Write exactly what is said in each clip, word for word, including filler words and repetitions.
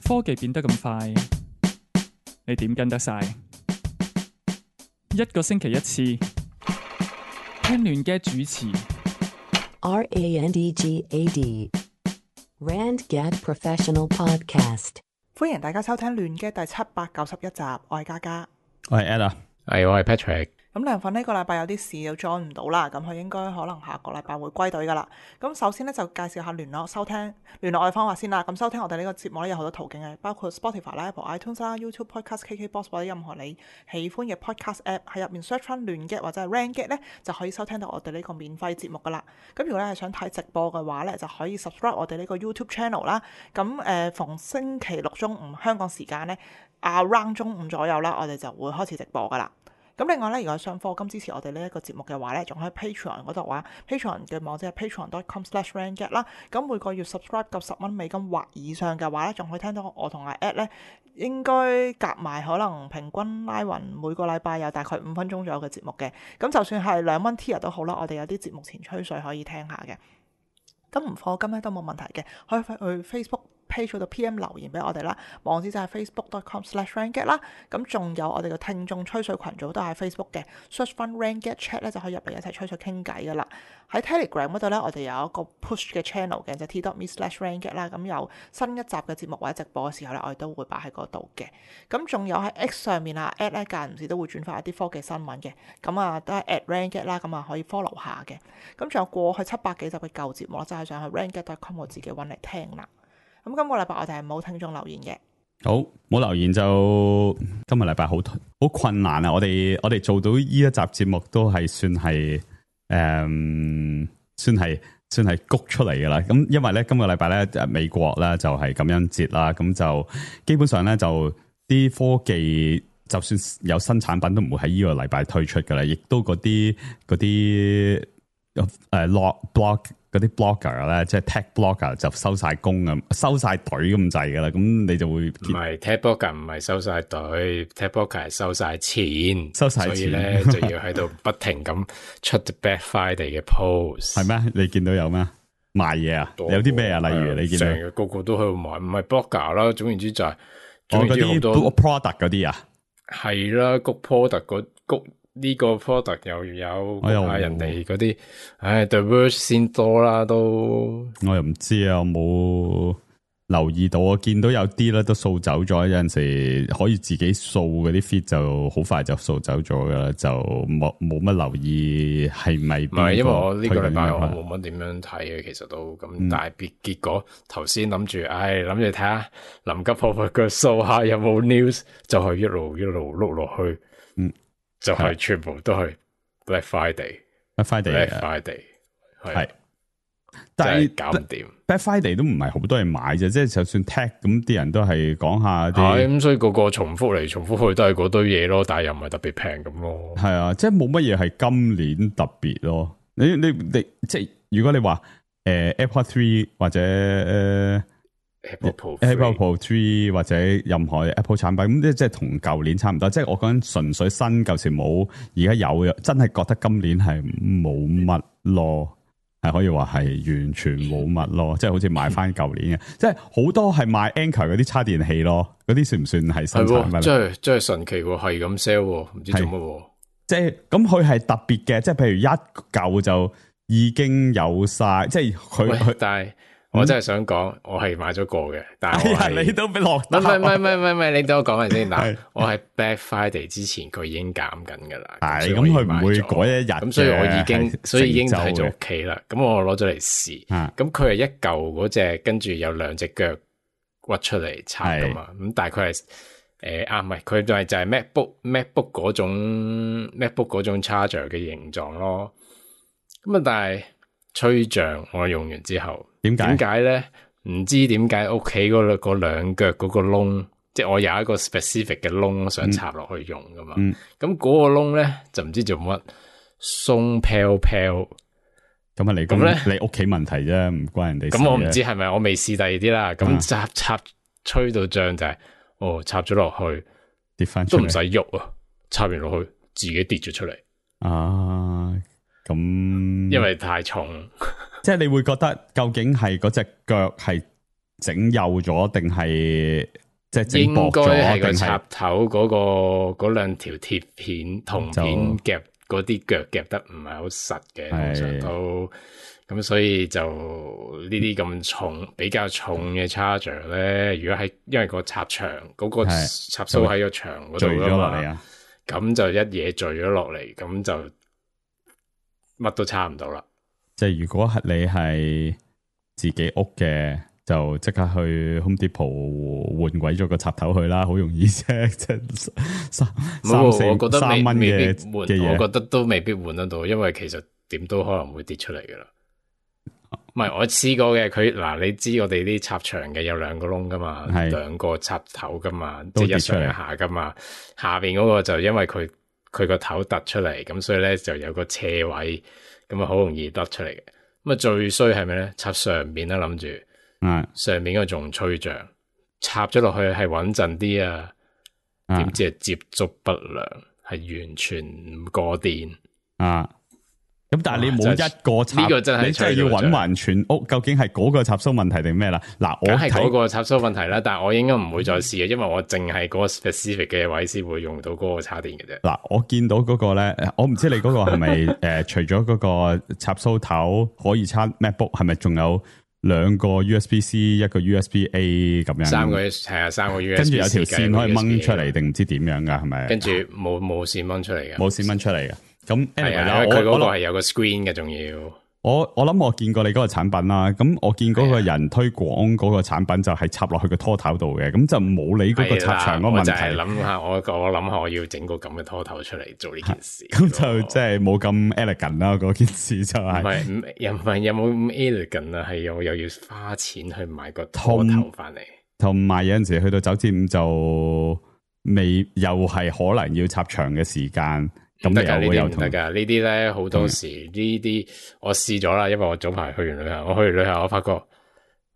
科技變得咁快，你點跟得晒？一個星期一次，聽亂嘅主持。R A N D G A D Rand Gad Professional Podcast。歡迎大家收聽亂嘅第七百九十一集，我係嘉嘉，我係 Ed 啊，係我係 Patrick。咁梁粉呢個禮拜有啲事又 join 唔到啦，咁佢應該可能下個禮拜會歸隊噶啦。咁首先呢，就介紹下聯絡收聽聯絡我嘅方法先啦。咁收聽我哋呢個節目呢，有好多途徑嘅，包括 Spotify 啦、Apple iTunes 啦、YouTube Podcast、K K Box 或者任何你喜歡嘅 Podcast App 喺入面 search 翻亂嘅或者係 Rand Gad 呢，就可以收聽到我哋呢個免費節目噶啦。咁如果你係想睇直播嘅話呢，就可以 subscribe 我哋呢個 YouTube channel 啦。咁誒、呃、逢星期六中午香港時間呢 around 中午左右啦，我哋就會開始直播噶啦。咁另外咧，如果想課金支持我哋呢一個節目嘅話咧，仲喺 Patreon 嗰度話 Patreon 嘅網址係 patreon dot com slash rand gad 啦。咁每個月 subscribe 夠十蚊美金或以上嘅話咧，仲可以聽到我同阿 Ed 咧，應該夾埋可能平均拉勻每個禮拜有大概五分鐘左右嘅節目嘅。咁就算係兩蚊 tier 都好啦，我哋有啲節目前吹水可以聽下嘅。咁唔課金咧都冇問題嘅，可以去 Facebook page 度 P M 留言俾我哋啦，網址就係 facebook dot com slash rand gad 啦。咁仲有我哋嘅聽眾吹水群組都係 Facebook 嘅 search 翻 Rand Gad Chat 咧就可以入嚟一齊吹水傾偈噶啦。喺 Telegram 嗰度咧，我哋有一個 push 嘅 channel 嘅，就係 t dot me slash rand gad 啦。咁有新一集嘅節目或者直播嘅時候咧，我哋都會擺喺嗰度嘅。咁仲有喺 X 上面啊 ，at 咧間唔時都會轉發一啲科技新聞嘅。咁啊都係 at Rand Gad 啦，咁啊可以 follow 下嘅。咁仲有過去七百幾集嘅舊節目啦，就係上去 rand gad dot com 我自己揾嚟聽啦。咁今個禮拜我哋係冇聽眾留言嘅，好冇留言就今日禮拜好好困難啊！我哋我哋做到呢一集節目都係算係誒、嗯，算係算係谷出嚟噶啦。咁因為咧今個禮拜咧美國咧就係感恩節啦，咁就基本上咧就啲科技就算有新產品都唔會喺呢個禮拜推出噶啦，亦都嗰啲嗰啲誒 log blog。嗰啲 blogger 咧，即係 tech blogger 就收晒工啊，收晒隊咁滯噶啦，咁你就會唔係 tech blogger 唔係收晒隊 ，tech blogger 係收晒錢，收晒錢，所以咧就要喺度不停咁出 Black Friday 嘅 post。係咩？你見到有咩賣嘢啊？有啲咩啊？例如你見到成日個個都喺度賣，唔係 blogger 啦，總言之就係我嗰啲 product 嗰啲啊，係啦，谷 product 嗰谷。呢個 product 又有啊人哋嗰啲，唉 The Verge 先多啦都，我又唔知啊，我冇留意到，我見到有啲咧都掃走咗，有陣時可以自己掃嗰啲 feed 就好快就掃走咗噶啦，就冇冇乜留意係咪？唔係，因為我呢個禮拜我冇乜點樣睇嘅，其實都咁，嗯、但係結果頭先諗住，唉諗住睇下臨急抱佛腳掃下有冇 news， 就係一路一路碌落去，嗯。就係全部都係 Black Friday，Black Friday，Black Friday 係，但係搞唔掂。Black Friday 都唔係好多人買啫，即係就算 tech 咁啲人都係講下啲，係咁，所以個個重複嚟重複去都係嗰堆嘢咯，但係又唔係特別平咁咯。係啊，即係冇乜嘢係今年特別咯。你你你即係如果你話誒、呃、Apple Three 或者誒。呃Apple Pro Apple Pro Three 或者任何 Apple 產品咁，即係即係同舊年差唔多。即係我講緊純粹新舊時冇，而家有嘅，真係覺得今年係冇乜咯，係可以話係完全冇乜咯。即係好似買翻舊年嘅，即係好多係買 Anker 嗰啲叉電器咯，嗰啲算唔算係新產品？真係真係神奇喎，係咁 sell，唔知做乜。即係咁，佢係特別嘅，即係譬如一舊就已經有晒，即係佢佢但係。我真係想講，我係買咗個嘅，但係我、哎、你都俾落，唔係唔係唔係唔係，你等我講埋先。嗱，我係 Black Friday 之前佢已經減緊噶啦，係咁佢唔會嗰一日，咁所以我已經所以已經喺咗屋企啦。咁我攞咗嚟試，咁佢係一嚿嗰隻，跟住有兩隻腳屈出嚟插噶嘛。咁大概係誒啊，唔係佢就係就係 MacBook MacBook 嗰種 MacBook 嗰種 charger 嘅形狀咯。咁啊，但係吹脹我用完之後。點解？點解咧？唔知點解屋企嗰兩嗰兩腳嗰個窿，即係我有一個 specific 嘅窿想插落去用噶嘛。咁、嗯、嗰個窿咧就唔知做乜鬆飄飄。咁啊，你咁咧，你屋企問題啫，唔關人哋事。咁我唔知係咪，我未試第二啲啦。咁插插吹到脹就係、是，哦，插咗落去跌翻，都唔使喐啊，插完落去自己跌咗出嚟。啊，咁因為太重。即係你會覺得究竟係嗰隻腳係整幼咗定係即係整薄咗？應該係個插頭嗰、嗰個嗰兩條鐵片銅片夾嗰啲腳夾得唔係好實嘅，通常都咁，所以就呢啲咁重比較重嘅 charger 咧，如果喺因為個插牆嗰、嗰個插蘇喺個牆嗰度啊嘛，咁就一嘢墜咗落嚟，咁就乜都差唔到啦。即係如果係你係自己屋嘅，就即刻去 Home Depot 換鬼咗個插頭去啦，好容易啫，即係三三四三蚊嘅嘅嘢，我覺得都未必換得到，因為其實點都可能會跌出嚟噶啦。唔係我試過嘅，佢嗱你知我哋啲插牆嘅有兩個窿噶嘛，兩個插頭噶嘛，即係一上一下噶嘛，下邊嗰個就因為佢佢個頭突出嚟，咁所以咧就有個斜位。咁啊，好容易得出嚟嘅。咁啊，最衰係咩咧？插上邊啦，諗住，嗯，上面嗰個仲吹脹，插咗落去係穩陣啲啊。點、嗯、知係接觸不良，係完全唔過電啊！咁但係你冇一個插，呢、這個真係你真係要搵勻全屋，究竟係嗰個插蘇問題定咩啦？嗱，我係嗰個插蘇問題啦，但係我應該唔會再試嘅，因為我淨係嗰個 specific 嘅位先會用到嗰個插電嘅啫。嗱，我見到嗰個咧，我唔知你嗰個係咪誒，除咗嗰個插蘇頭可以插 MacBook，係咪仲有兩個 U S B C， 一個 U S B A 咁樣？三個係啊，三個 U S B， 跟住有條線可以掹出嚟，定唔知點樣噶？係咪？跟住冇冇線掹出嚟嘅，冇線掹出嚟嘅。咁係啊，因為佢嗰個係有個 screen 嘅，仲要我我諗我見過你嗰個產品啦。咁我見嗰個人推廣嗰個產品就係插落去個拖頭度嘅，咁就冇你嗰個插牆嗰個問題。我就係諗下，我我諗下，我要整個咁嘅拖頭出嚟做呢件事。咁就即係冇咁 elegant 啦。嗰件事就係、是、唔係又唔係有冇咁 elegant 啊？係又又要花錢去買個拖頭翻嚟，同埋有陣時去到九至五就未又係可能要插牆嘅時間。咁得噶，呢啲唔得噶，呢啲咧好多時呢啲我試咗啦，因為我早排去完旅行，我去完旅行我發覺，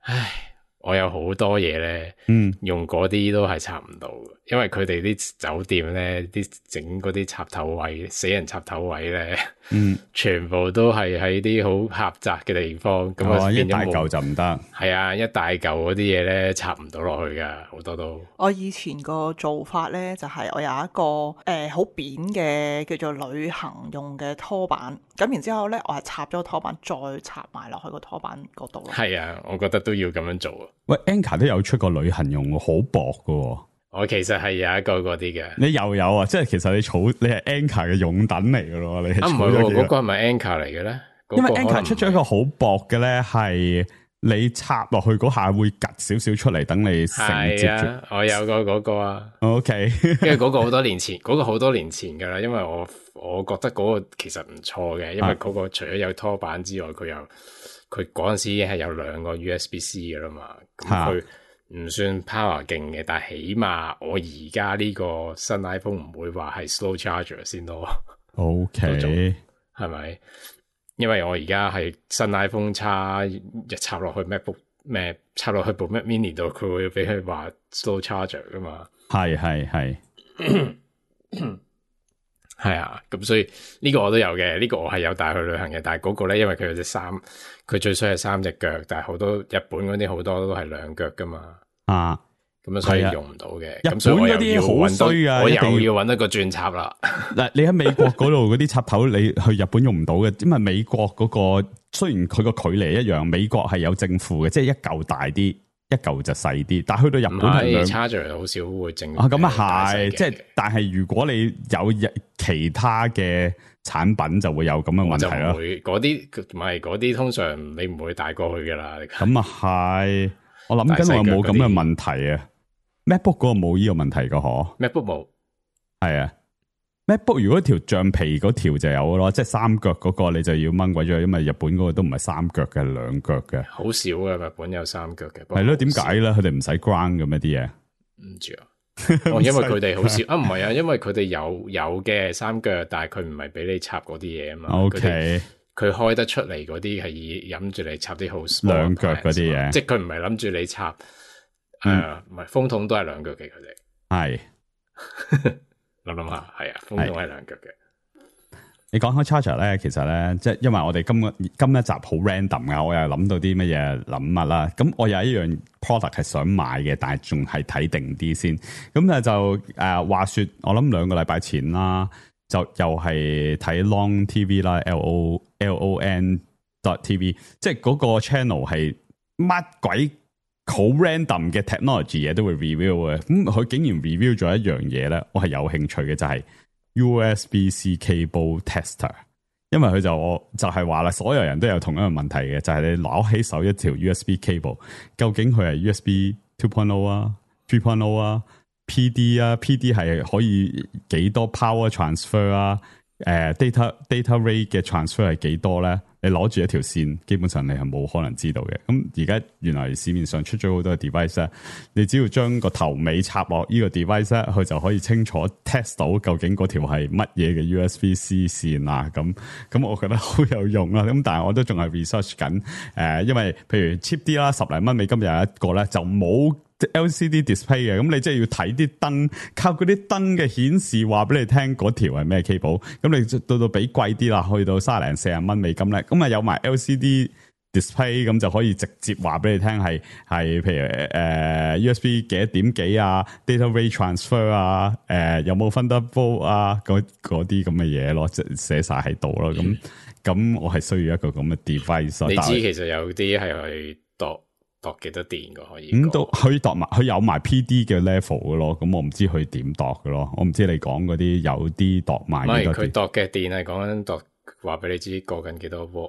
唉，我有好多嘢咧，嗯，用嗰啲都係插唔到嘅，因為佢哋啲酒店咧，啲整嗰啲插頭位，死人插頭位咧，嗯，全部都係喺啲好狹窄嘅地方，咁啊、哦、一大嚿就唔得，係啊，一大嚿嗰啲嘢咧插唔到落去噶，好多都。我以前個做法咧就係、是、我有一個誒好、呃、扁嘅叫做旅行用嘅拖板，咁然之後咧我係插咗個拖板再插埋落去個拖板嗰度咯。係啊，我覺得都要咁樣做啊。喂 Anker 都有出過旅行用，好薄噶。我其實係有一個嗰啲嘅，你又有啊？即係其實你儲你係 Anker 嘅擁躉嚟噶咯？你係啊唔係嗰個係咪 Anker 嚟嘅咧？因為 Anker 出咗一個好薄嘅咧，係你插落去嗰下會夾少少出嚟，等你承接住。啊，我有個嗰個啊。OK，跟住嗰個好多年前，嗰、嗰個好多年前噶啦，因為我我覺得嗰個其實唔錯嘅，因為嗰個除咗有拖板之外，佢又佢嗰陣時已經係有兩個 U S B C 噶啦嘛，咁佢。唔算 power 勁嘅，但係起碼我而家呢個新 iPhone 唔會話係 slow charger 先咯。OK，係咪？因為我而家係新 iPhone 插一插落去 MacBook 咩，插落去部 Mac Mini 度，佢會俾佢話 slow charger 噶嘛。係係係，係啊。咁所以呢個我都有嘅，呢、呢個我係有帶去旅行嘅。但係嗰個咧，因為佢有隻三，佢最衰係三隻腳，但係好多日本嗰啲好多都係兩腳噶嘛。啊，咁樣所以用唔到嘅。日本嗰啲好衰啊，我又要揾一個轉插啦。嗱，你喺美國嗰度嗰啲插頭，你去日本用唔到嘅，因為美國嗰、嗰個雖然佢個距離一樣，美國係有正負嘅，即係一嚿大啲，一嚿就細啲。但係去到日本係兩 charger 好少會正啊，咁啊係，即係但係如果你有其他嘅產品，就會有咁嘅問題啦。嗰啲唔係嗰啲，通常你唔會帶過去噶啦。咁啊係。我諗緊我冇咁嘅問題啊 ，MacBook 嗰個冇呢個問題噶嗬 ，MacBook 冇，係啊 ，MacBook 如果條橡皮嗰條就有咯，即係三腳嗰個你就要掹鬼咗，因為日本嗰個都唔係三腳嘅，兩腳嘅，好少嘅日本有三腳嘅，係咯，點解咧？佢哋唔使 ground 咁一啲嘢，唔知啊，哦，因為佢哋好少啊，唔係啊，因為佢哋有有嘅三腳，但係佢唔係俾你插嗰啲嘢啊嘛 ，OK。佢開得出嚟嗰啲係諗住你插啲好兩腳嗰啲嘢，即係佢唔係諗住你插，誒、嗯，唔係風筒都係兩腳嘅，佢哋係諗諗下，係啊，風筒係兩腳嘅。你講開 charger 咧，其實咧，即係因為我哋今個今一集好 random 噶，我又諗到啲乜嘢諗乜啦。咁我有一樣 product 係想買嘅，但係仲係睇定啲先。咁咧就誒、呃、話說，我諗兩個禮拜前啦，就又係睇 Long T V 啦 ，L O L O N dot T V， 即係嗰個 channel 係乜鬼好 random 嘅 technology 嘢都會 review 嘅。咁佢竟然 review 咗一樣嘢咧，我係有興趣嘅，就係、是。U S B C cable tester， 因為佢就我就係話啦，所有人都有同一個問題嘅，就係、是、你攞起手一條 U S B cable， 究竟佢係 U S B two point oh 啊、three point oh 啊、P D 啊、P D 係可以幾多 power transfer 啊？誒、呃、data data rate 嘅 transfer 係幾多咧？你攞住一條線，基本上你係冇可能知道嘅。咁而家原來市面上出咗好多 device 咧，你只要將個頭尾插落呢個 device 咧，佢就可以清楚 test 到究竟嗰條係乜嘢嘅 U S B C 線啊。咁咁我覺得好有用啦。咁但係我都仲係 research 緊。誒、呃，因為譬如 cheap 啲啦，十零蚊美金有一個咧，就冇 L C D display 嘅，咁你即係要睇啲燈，靠嗰啲燈嘅顯示話俾你聽嗰條係咩 cable，咁你到到俾貴啲啦，去到三零四十蚊美金咧，咁啊有埋 L C D display， 咁就可以直接話俾你聽係係譬如誒、呃、U S B 幾多點幾啊 ，data rate transfer 啊，誒、呃、有冇 Thunderbolt 啊，嗰嗰啲咁嘅嘢咯，即係寫晒喺度咯，咁咁、嗯、我係需要一個咁嘅 device。你知其實有啲係去度。度幾多電嘅可以？咁都可以度埋，佢有埋 P D 嘅 level 嘅咯。咁我唔知佢點度嘅咯。我唔知你講嗰啲有啲度埋。唔係佢度嘅電係講緊度，話俾你知過緊幾多伏。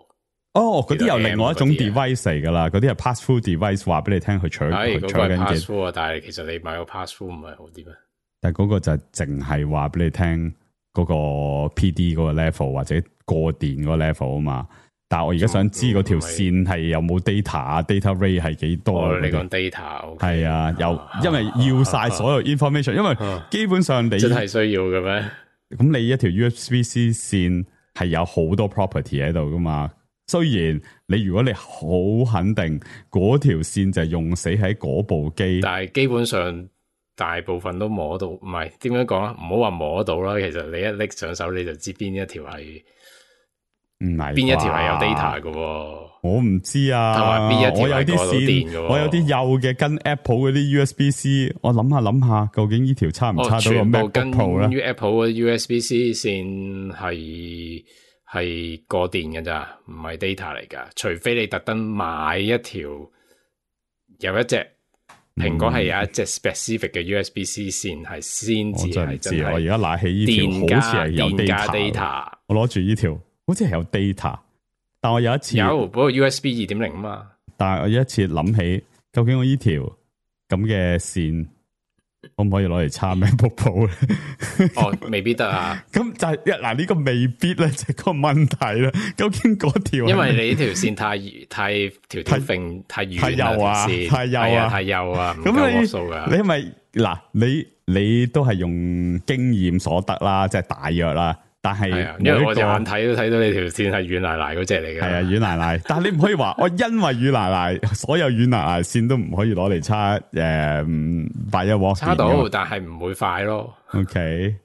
哦，嗰啲又另外一種 device 嚟噶啦。嗰啲係 pass through device， 話俾你聽佢取佢取緊嘅。pass through 啊，但係其實你買個 pass through 唔係好啲咩？但係嗰個就淨係話俾你聽嗰個 P D 嗰個 level 或者過電嗰個 level 啊嘛。但係我而家想知嗰條線係有冇 data 啊 ，data rate 係幾多？哦，你講 data 係啊，有，因為要晒所有 information，、啊、因為基本上你真係需要嘅咩？咁你一條 U S B C 線係有好多 property 喺度噶嘛？雖然你如果你好肯定嗰條線就係用死喺嗰部機，但係基本上大部分都摸到，唔係點樣講啊？唔好話摸到啦，其實你一拎上手你就知邊一條係。唔係邊一條係有 data 嘅？我唔知啊。同埋邊一條我有啲線，我有啲幼嘅跟 Apple 嗰啲 U S B C， 我諗下諗下，究竟呢條差唔差到個 MacBook Pro 咧？ Apple 嘅 U S B C 線係係過電嘅咋，唔係 data 嚟噶。除非你特登買一條有一隻蘋果係有一隻 specific 嘅 U S B C 線，係先至係真係。我而家拿起呢條，好似係有 data。我攞住呢條。好似係有 data， 但我有一次有，不過 U S B 二點零啊嘛。但係我有一次諗起，究竟我呢條咁嘅線可唔可以攞嚟插 MacBook Pro 咧？哦，未必得啊。咁就係一嗱呢個未必咧，就係個問題啦。究竟嗰條，因為你呢條線太太條條揈太遠，太幼啊，太幼啊，太幼啊，唔夠畫素噶。你係咪嗱？你你都係用經驗所得啦，即係大約啦。但係，因為我隻眼睇都睇到你條線係軟奶奶嗰隻嚟嘅。係啊，軟奶奶。但係你唔可以話我因為軟奶奶，所有軟奶奶線都唔可以攞嚟插誒八一 W。插到，但係唔會快咯。OK，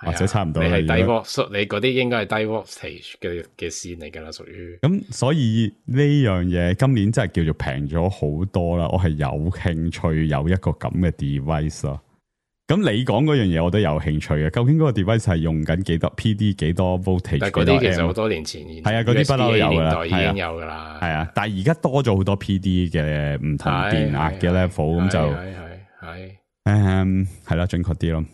或者差唔多。你係低 W， 你嗰啲應該係低 voltage 嘅嘅線嚟噶啦，屬於。咁所以呢樣嘢今年真係叫做平咗好多啦。我係有興趣有一個咁嘅 device 咯。咁你講嗰樣嘢我都有興趣嘅，究竟嗰個 device 係用緊幾多 P D 幾多 voltage？ 但係嗰啲其實好多年前係啊，嗰啲不嬲都有噶啦，已經有噶啦。係啊，但係而家多咗好多 P D 嘅唔同電壓嘅 level，咁就係係誒係啦，準確啲咯。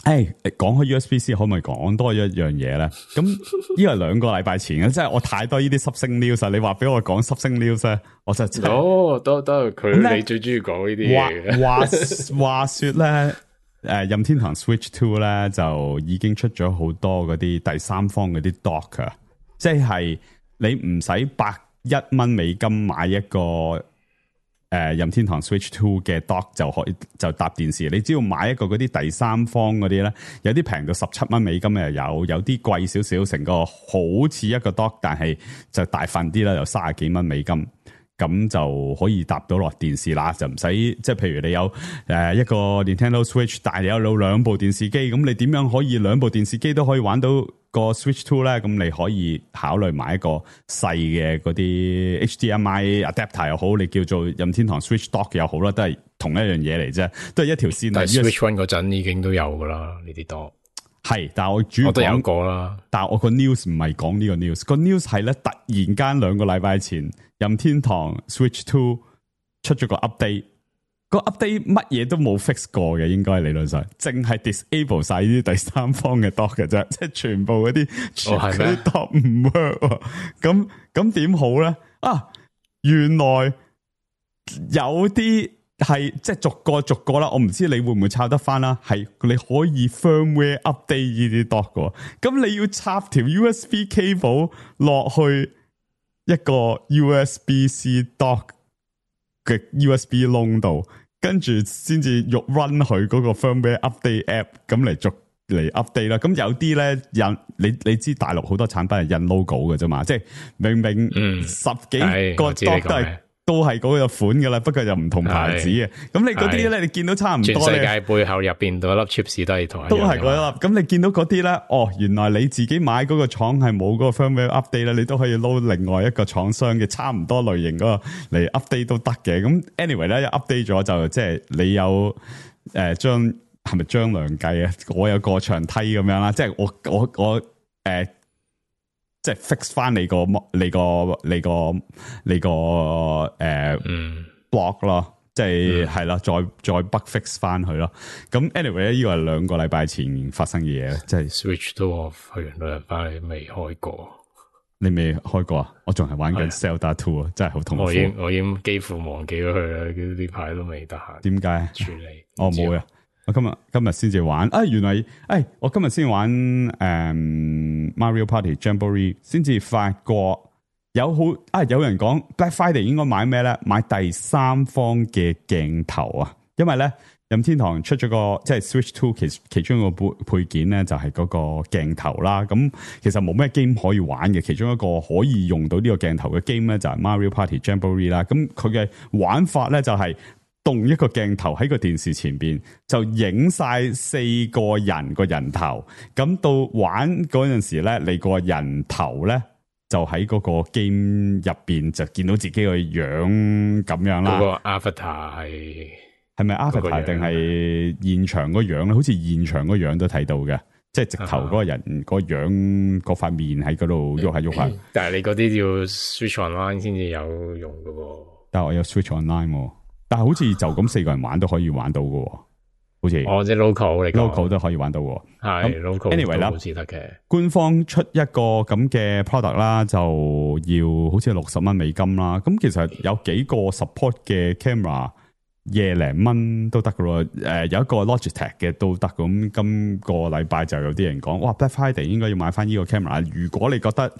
誒，講開 U S B C 可唔可以講多一樣嘢咧？咁呢個係兩個禮拜前嘅，即係我太多呢啲濕星 news，你話俾我講濕星 news 咧，我就哦，都都佢你最中意講呢啲嘢。話話話說咧，誒，任天堂 Switch Two 咧就已經出咗好多嗰啲第三方嗰啲 dock 啊，即係你唔使百一蚊美金買一個。誒、呃，任天堂 Switch Two 嘅 dock 就可以就搭電視，你只要買一個嗰啲第三方嗰啲咧，有啲平到十七蚊美金又有，有啲貴少少，成個好似一個 dock，但係就大份啲啦，又三十幾蚊美金，咁就可以搭到落電視啦，就唔使即係譬如你有誒一個 Nintendo Switch，但係你有兩部電視機，咁你點樣可以兩部電視機都可以玩到嗰個 Switch Two 咧，咁你可以考慮買一個細嘅嗰啲 H D M I adapter 又好，你叫做任天堂 Switch Dock 又好啦，都係同一樣嘢嚟啫，都係一條線。但係 Switch One 嗰陣已經都有噶啦，呢啲 dock。係，但係我主要我都有過啦。但係我個 news 唔係講呢個 news，個 news 係咧突然間兩個禮拜前，任天堂 Switch Two 出咗個 update，個 update 乜嘢都冇 fix 過嘅，應該理論上淨係 disable 晒呢啲第三方嘅 dock 嘅啫，即係全部嗰啲全嗰啲 dock 唔 work，咁咁點好咧？啊，原來有啲。係即係逐個逐個啦，我唔知你會唔會抄得翻啦。係你可以 firmware update 呢啲 dock 嘅，咁你要插條 U S B cable 落去一個 U S B C dock 嘅 U S B 窿度，跟住先至用 run 佢嗰個 firmware update app， 咁嚟逐嚟 update 啦。咁有啲咧印你你知大陸好多產品係印 logo 嘅啫嘛，即係明明十幾個 dock 都係。都係嗰個款噶啦，不過就唔同牌子嘅。咁你嗰啲咧，你見到差唔多。全世界背後入邊嗰粒 chips 都係同一樣。都係嗰粒。咁你見到嗰啲咧，哦，原來你自己買嗰個廠係冇嗰個 firmware update 咧，你都可以撈另外一個廠商嘅差唔多類型嗰個嚟 update 都得嘅。咁 anyway 咧，一 update 咗就即係你有誒將係咪張良計啊？我有過牆梯咁樣啦，即係我我我誒。呃即係 fix 翻你個你個你個你個誒、呃嗯、block 咯，即係係啦，再再 bug fix 翻佢咯。咁 anyway 咧，呢個係兩個禮拜前發生嘅嘢，即係 Switch 都我去完兩日翻嚟未開過，你未開過啊？我仲係玩緊 Zelda Two 啊，真係好痛苦。我已經我已經幾乎忘記咗佢啦，呢排都未得閒。點解處理？我冇啊。我今日今日先至玩啊！原來誒、哎，我今日先玩誒、嗯、Mario Party Jamboree， 先至發覺有好啊！有人講 Black Friday 應該買咩咧？買第三方嘅鏡頭啊！因為咧任天堂出咗個即係 Switch Two 其其中一個配配件咧，就係、是、嗰個鏡頭啦。咁其實冇咩 game 可以玩嘅，其中一個可以用到呢個鏡頭嘅 game 咧，就係 Mario Party Jamboree 啦。咁佢嘅玩法咧就係、是。動一個鏡頭喺個電視前邊，就影晒四個人個人頭。咁到玩嗰陣時咧，你個人頭咧就喺嗰個 game 入邊就見到自己個樣咁樣啦。嗰個 avatar 係係咪 avatar 定係現場個樣咧？好似現場個樣都睇到嘅，即係直頭嗰個人個樣嗰塊面喺嗰度喐下喐下。但係你嗰啲要 Switch Online 先至有用噶喎。但係我有 Switch Online 喎。但係好似就咁四個人玩都可以玩到嘅，好似哦，即係 local 嚟 local 都可以玩到嘅，係 local anyway 啦，好似得嘅。官方出一個咁嘅 product 啦，就要好似六十蚊美金啦。咁其實有幾個 support 嘅 camera 廿零蚊都得嘅咯。誒，有一個 Logitech 嘅都得。咁今個禮拜就有啲人講，哇 Black Friday 應該要買翻呢個 camera。如果你覺得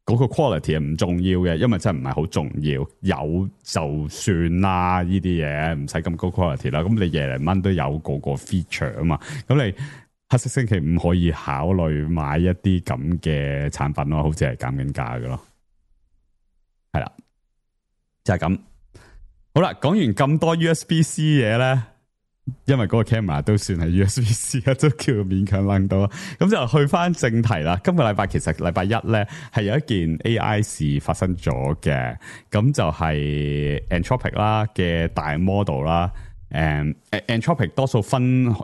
嗰個 quality 係唔重要嘅，因為真係唔係好重要，有就算啦，呢啲嘢唔使咁高 quality 啦。咁你廿零蚊都有個個 feature 啊嘛，咁你黑色星期五可以考慮買一啲咁嘅產品咯，好似係減緊價嘅咯，係啦，就係咁。好啦，講完咁多 U S B C 嘢咧。因為嗰個 camera 都算係 U S B C 啊，都叫勉強諗到。咁就去翻正題啦。今個禮拜其實禮拜一咧係有一件 A I 事發生咗嘅，咁就係 Anthropic 啦嘅大 model 啦。誒、um,，Anthropic 多數分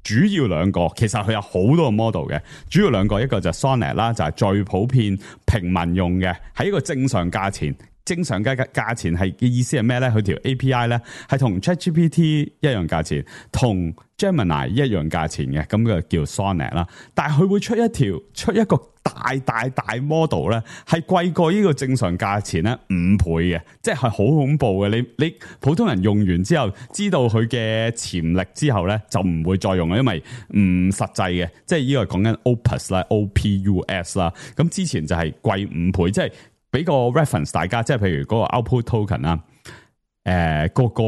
主要兩個，其實佢有好多個 model 嘅。主要兩個，一個就係 Sonnet 啦，就係最普遍平民用嘅，喺一個正常價錢。正常嘅價錢係嘅意思係咩咧？佢條 A P I 咧係同 ChatGPT 一樣價錢，同 Gemini 一樣價錢嘅，咁就叫 Sonnet 啦。但係佢會出一條出一個大大大 model 咧，係貴過呢個正常價錢咧五倍嘅，即係好恐怖嘅。你你普通人用完之後，知道佢嘅潛力之後咧，就唔會再用啦，因為唔實際嘅。即係呢個講緊 Opus 啦 ，O P U S 啦。咁之前就係貴五倍，即係。俾個 reference 大家，即係譬如嗰個 output token 啦，誒，個個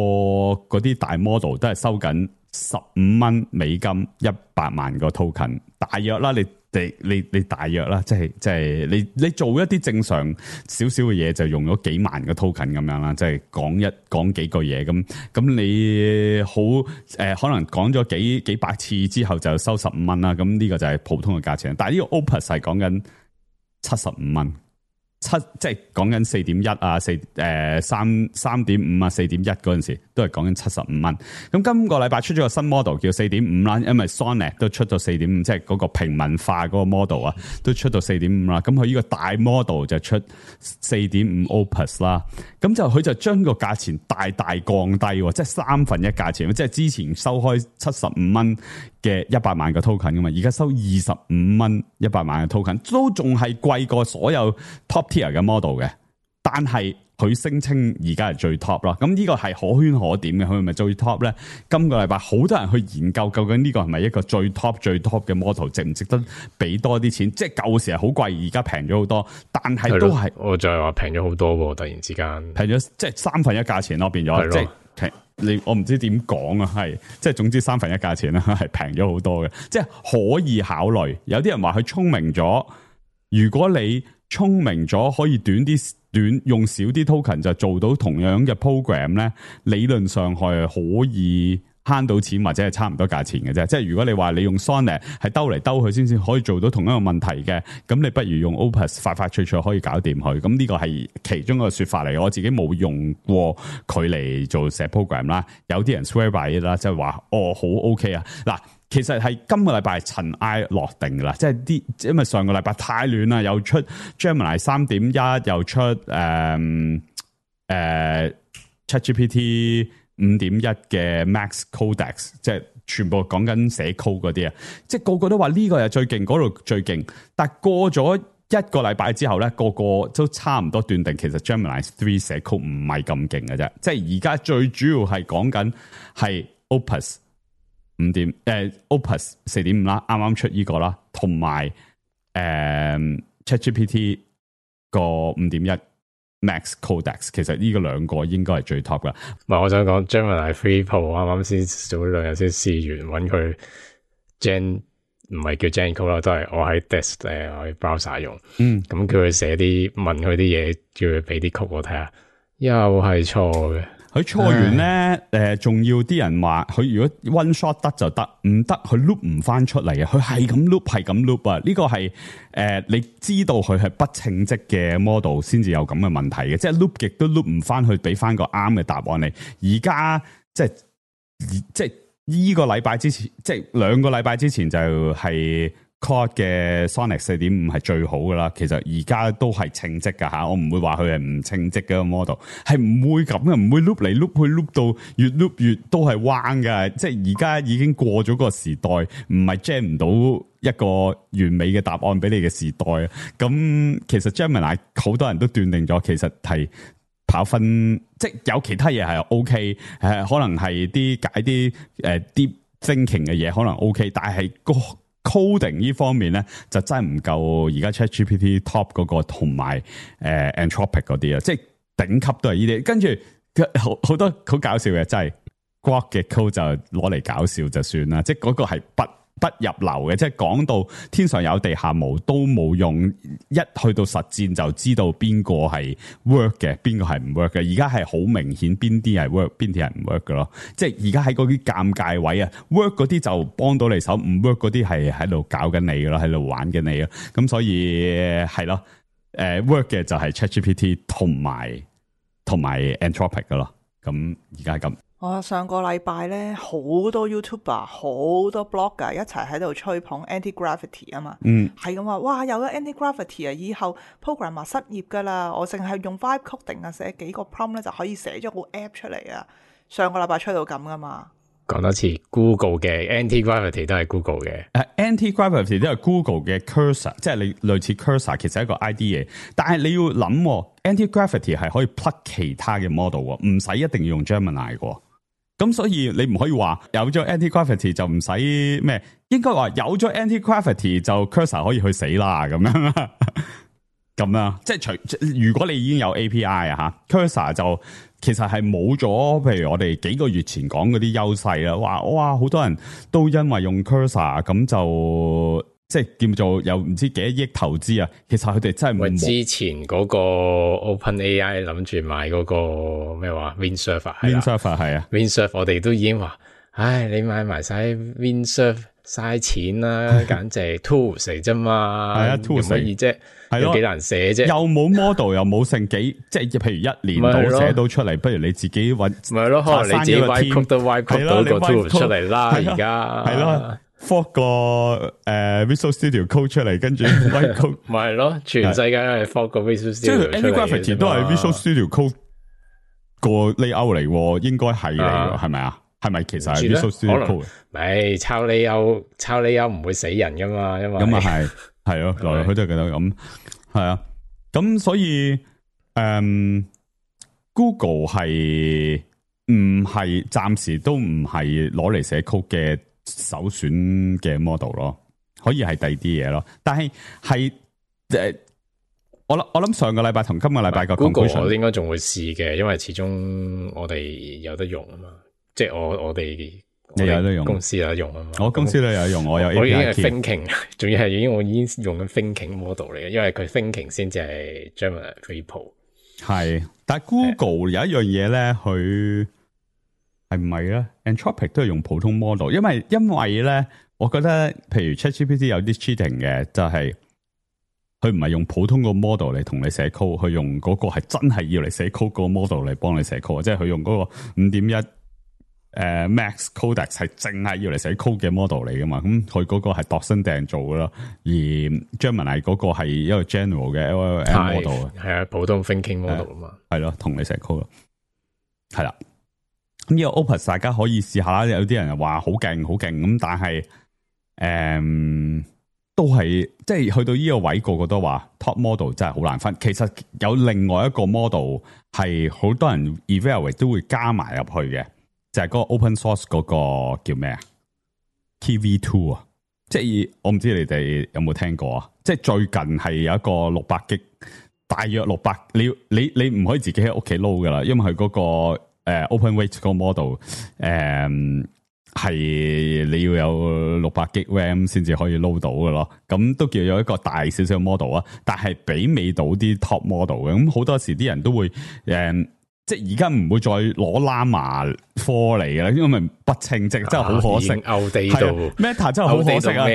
嗰啲大 model 都係收緊十五蚊美金一百萬個 token，大約啦，你你你你大約啦，即係即係你你做一啲正常少少嘅嘢就用咗幾萬個 token 咁樣啦，即係講一講幾個嘢咁咁你好誒、呃，可能講咗幾幾百次之後就收十五蚊啦，咁呢個就係普通嘅價錢。但係呢個 Opus 係講緊七十五蚊。七即係講緊四點一啊，四誒三三點五啊，四點一嗰陣時都係講緊七十五蚊。咁今個禮拜出咗個新 model 叫四點五啦，因為 Sonic 都出到四點五，即係嗰個平民化嗰個 model 啊，都出到四點五啦。咁佢呢個大 model 就出四點五 Opus 啦。咁就佢就將個價錢大大降低，即係三分一價錢，即係之前收開七十五蚊嘅一百萬個 token 噶嘛，而家收二十五蚊一百萬嘅 token，都仲係貴過所有 top tier 嘅 model 嘅，但係佢聲稱而家係最 top 啦。咁呢個係可圈可點嘅，佢係咪最 top 咧？今個禮拜好多人去研究究竟呢個係咪一個最 top 最 top 嘅 model， 值唔值得俾多啲錢？即係舊時係好貴，而家平咗好多，但係都係我就係話平咗好多喎，突然之間平咗，即係三分一價錢咯，變咗即係。你我唔知點講啊，係即係總之三分一價錢啦，係平咗好多嘅，即係可以考慮。有啲人話佢聰明咗，如果你聰明咗，可以短啲短用少啲 token 就做到同樣嘅 program 咧，理論上係可以慳到錢或者係差唔多價錢嘅啫。即係如果你話你用 Sonic 係兜嚟兜去先至可以做到同一個問題嘅，咁你不如用 Opus 快快脆脆可以搞掂佢。咁呢個係其中一個說法嚟，我自己冇用過佢嚟做寫 program 啦。有啲人 swear by 啦，即係話哦好 OK 啊。嗱，其實係今個禮拜塵埃落定噶啦，即係啲因為上個禮拜太亂啦，又出 Gemini 三點一，又出誒誒、呃呃、ChatGPT五點一嘅 Max Codex， 即係全部講緊寫 code 嗰啲啊，即係個個都話呢個係最勁，嗰度最勁。但係過咗一個禮拜之後咧，個個都差唔多斷定，其實 Gemini 三寫 code 唔係咁勁嘅啫。即係而家最主要係講緊係 Opus 五點誒 Opus 四點五啦，啱啱出呢個啦，同埋誒 ChatGPT 個五點一。Max Codex 其實呢個兩個應該係最 top 噶。唔係，我想講 Gemini three Pro 啱啱先早兩日先試完，搵佢 Gen 唔係叫 Gen Code 啦，都係我喺 desk 誒我喺 browser 用。嗯，咁叫佢寫啲問佢啲嘢，叫佢俾啲 code 我睇下，又係錯嘅。佢錯完咧，誒，仲要啲人話佢如果 one shot 得就得，唔得佢 loop 唔翻出嚟啊！佢係咁 loop，係咁 loop 啊！呢個係誒，你知道佢係不稱職嘅 model 先至有咁嘅問題嘅，即係 loop 極都 loop 唔翻去，俾翻個啱嘅答案你。而家即係即係呢個禮拜之前，即係兩個禮拜之前就係。Claude 嘅 Sonic 四點五係最好噶啦，其實而家都係稱職噶吓，我唔會話佢係唔稱職嘅個 model， 係唔會咁嘅，唔會 loop 嚟 loop 去 loop 到越 loop 越都係彎噶，即係而家已經過咗個時代，唔係 gen 唔到一個完美嘅答案俾你嘅時代。咁其實 Gemini 好多人都斷定咗，其實係跑分，即係有其他嘢係 OK， 誒可能係啲解啲誒 deep thinking 嘅嘢可能 OK， 但係個coding 呢方面咧就真係唔夠而家 ChatGPT top 嗰個同埋誒 Anthropic 嗰啲啊，即係頂級都係呢啲。跟住好好多好搞笑嘅，真係 Grok 嘅 code 就攞嚟搞笑就算啦，即係嗰個係不不入流嘅，即係講到天上有地下無都冇用，一去到實戰就知道邊個係 work 嘅，邊個係唔 work 嘅。而家係好明顯邊啲係 work，邊啲係唔 work 嘅咯。即係而家喺嗰啲尷尬位啊 ，work 嗰啲就幫到你手，唔 work 嗰啲係喺度搞緊你嘅咯，喺度玩緊你咯。咁所以係咯，誒 work 嘅就係 ChatGPT 同埋同埋 Anthropic 嘅咯。咁而家係咁。我上個禮拜咧，好多 YouTuber、好多 blogger 一齊喺度吹捧 Anti-Gravity 啊嘛，嗯，係咁話，哇，有咗 Anti-Gravity 啊，以後 programmer 失業噶啦，我淨係用 Vibe Coding 啊，寫幾個 prompt 咧就可以寫咗個 app 出嚟啊。上個禮拜吹到咁噶嘛。講多次 Google 嘅 Anti-Gravity 都係 Google 嘅，誒、uh, Anti-Gravity 都係 Google 嘅 Cursor， 即係你類似 Cursor， 其實係一個 I D 嘢，但係你要諗 Anti-Gravity 係可以 plug 其他嘅 model， 唔使一定要用 Gemini 嘅。咁所以你唔可以話有咗 Anti-Gravity 就唔使咩，應該話有咗 Anti-Gravity 就 Cursor 可以去死啦咁樣啦，咁啦，即係除如果你已經有 A P I 啊吓 Cursor 就其實係冇咗，譬如我哋幾個月前講嗰啲優勢啦，哇哇好多人都因為用 Cursor 咁就即係叫做有唔知幾多億投資啊，其實佢哋真係冇。之前嗰個 OpenAI 諗住買嗰個咩話 Windsurfer，Windsurfer 係啊 ，Windsurfer 我哋都已經話，唉，你買埋晒 Windsurfer 嘥錢啦，簡直 tools 嚟啫嘛，係啊 tools 乜嘢啫？係咯，幾難寫啫，又冇 model 又冇成幾，即係譬如一年到寫到出嚟，不如你自己搵，咪係咯，可能你自己 write code 都 write code 到個 tool 出嚟啦，而家係咯 ，fork 個誒 Visual Studio Code 出嚟，跟住 write code，咪係咯，全世界都係 fork 個 Visual Studio 出嚟，即係 Anyway 都係 Visual Studio Code 個 layout 嚟，應該係嚟，係咪啊？係咪其實係 Visual Studio Code？咪抄 layout，抄 layout 唔會死人噶嘛，因為咁啊係。係咯，來來去都係覺得咁，係啊，咁所以，誒、嗯、，Google 係唔係暫時都唔係攞嚟寫 code 嘅首選嘅 model 咯，可以係第二啲嘢咯，但係係誒，我諗我諗上個禮拜同今個禮拜個 Google 我應該仲會試嘅，因為始終我哋有得用啊嘛，即係我我哋。你有得用，公司有得用啊嘛！我公司都有得用，我有 A P I。 我已經係 Thinking， 仲要係已經我已經用緊 Thinking model 嚟嘅，因為佢 Thinking 先至係 Gemini three Pro。係，但係 Google 有一樣嘢咧，佢係唔係咧 ？Anthropic 都係用普通 model， 因為因為咧，我覺得譬如 ChatGPT 有啲 cheating 嘅，就係佢唔係用普通個 model 嚟同你寫 code，佢用嗰個係真係要嚟寫 code 個 model 嚟幫你寫 code， 即係佢用嗰個五點一。誒、uh, ，Max Codex 係淨係要嚟寫 code 嘅 model 嚟噶嘛？咁佢嗰個係度身訂做噶咯，而 Gemini 嗰個係一個 general 嘅 L L M model， 係啊，普通 thinking model 啊嘛，係咯，同你寫 code 咯，係啦。咁呢個 Opus 大家可以試下啦，有啲人話好勁好勁咁，但係誒、嗯、都係即係去到呢個位，個個都話 top model 真係好難分。其實有另外一個 model 係好多人 evaluate 都會加埋入去嘅。就係嗰個 open source 嗰個叫咩啊 ？K V two 啊，即係我唔知你哋有冇聽過啊？即係最近係有一個六百 G，大約六百，你你你唔可以自己喺屋企撈噶啦，因為佢嗰、那個誒、呃、open weight 嗰個 model 誒、呃、係你要有六百 G RAM 先至可以撈到噶咯。咁都叫有一個大少少 model 啊，但係媲美到啲 top model 嘅。咁好多時啲人都會誒。呃即係而家唔會再攞 Llama 科嚟嘅啦，因為不稱職，真係好可惜。歐地度 Meta 真係好可惜啊！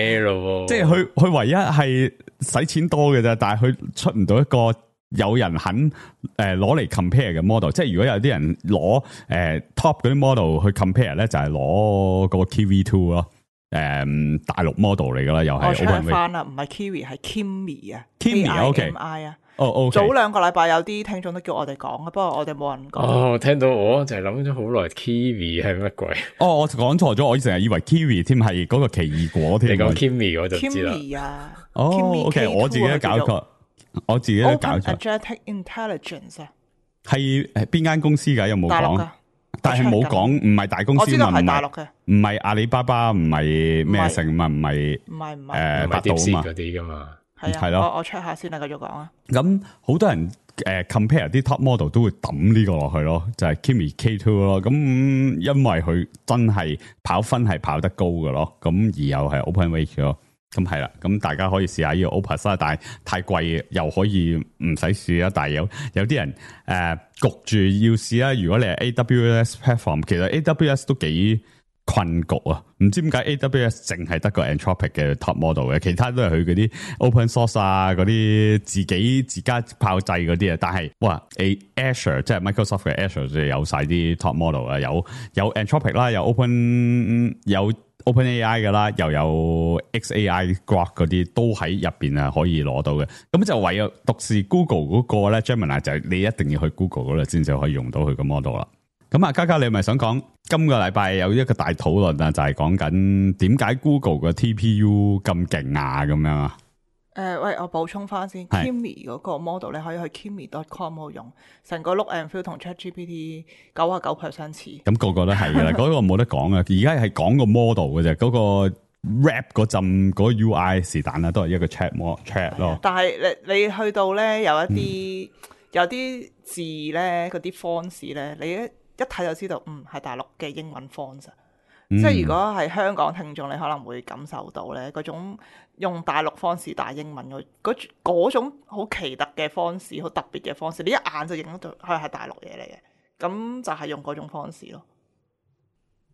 即係佢佢唯一係使錢多嘅啫，但係佢出唔到一個有人肯誒攞嚟 compare 嘅 model。即係如果有啲人攞誒、呃、top 嗰啲 model 去 compare 咧，就係攞個 K V two 咯。誒、嗯，大陸 model 嚟噶啦，又係。我 check 翻啦，唔係 Kiwi 係 Kimi 啊 ，Kimi OK。哦哦，早兩個禮拜有啲聽眾都叫我哋講，不過我哋冇人講。哦，聽到我就係諗咗好耐 ，Kiwi 係乜鬼？哦，我講錯咗，我成日以為 Kiwi 添係嗰個奇異果添。你講 Kimi 我就知啦。Kimi 啊，哦 ，OK， 我自己都搞錯，我自己都搞錯。Agentic Intelligence 啊，係邊間公司噶？有冇講？但係冇講，唔係大公司，我知道係大陸嘅，唔係阿里巴巴，唔係咩成嘛，唔係唔係唔係誒百度啊嘛，嗰啲噶嘛。係咯，我我 check 下先啦，繼續講啊。咁好多人誒 compare 啲 top model 都會抌呢個落去咯，就係 Kimi K two 咯。咁因為佢真係跑分係跑得高嘅咯，咁而又係 open weight 咯。咁係啦，咁大家可以試下呢個 Opus 啦，但係太貴又可以唔使試啦。但係有有啲人誒、呃、焗住要試啦。如果你係 A W S platform，其實 A W S 都幾困局啊。唔知點解 A W S 淨係得個 Anthropic 嘅 top model 嘅，其他都係佢嗰啲 open source 啊，嗰啲自己自家炮製嗰啲啊。但係哇 ，A Azure 即係 Microsoft 嘅 Azure 就有晒啲 top model 啊，有有 Anthropic 啦，有 Open 有。OpenAI 嘅啦，又有 X A I Grok 嗰啲都喺入邊啊，可以攞到嘅。咁就唯有獨是 Google 嗰個咧 Gemini 就係你一定要去 Google 嗰度先至可以用到佢個 model 啦。咁啊，嘉嘉你係咪想講今個禮拜有一個大討論啊？就係講緊點解 Google 嘅 T P U 咁勁啊？咁樣啊？誒、呃，喂，我補充翻先 ，Kimi 嗰個 model 你可以去 Kimi dot com 度用，成個 look and feel 同 ChatGPT 九啊九 percent 似。咁個個都係噶啦，嗰個冇得講啊！而家係講個 model 嘅啫，嗰、嗰個 rap 嗰陣嗰個 U I 是但啦，都係一個 chat mo chat 咯。但係你你去到咧有一啲、嗯、有啲字咧，嗰啲 fonts 咧，你一一睇就知道，嗯係大陸嘅英文 fonts。即係如果係香港聽眾，你可能會感受到咧嗰種用大陸方式打英文嗰嗰嗰種好奇特嘅方式，好特別嘅方式，你一眼就認到佢係大陸嘢嚟嘅。咁就係用嗰種方式咯。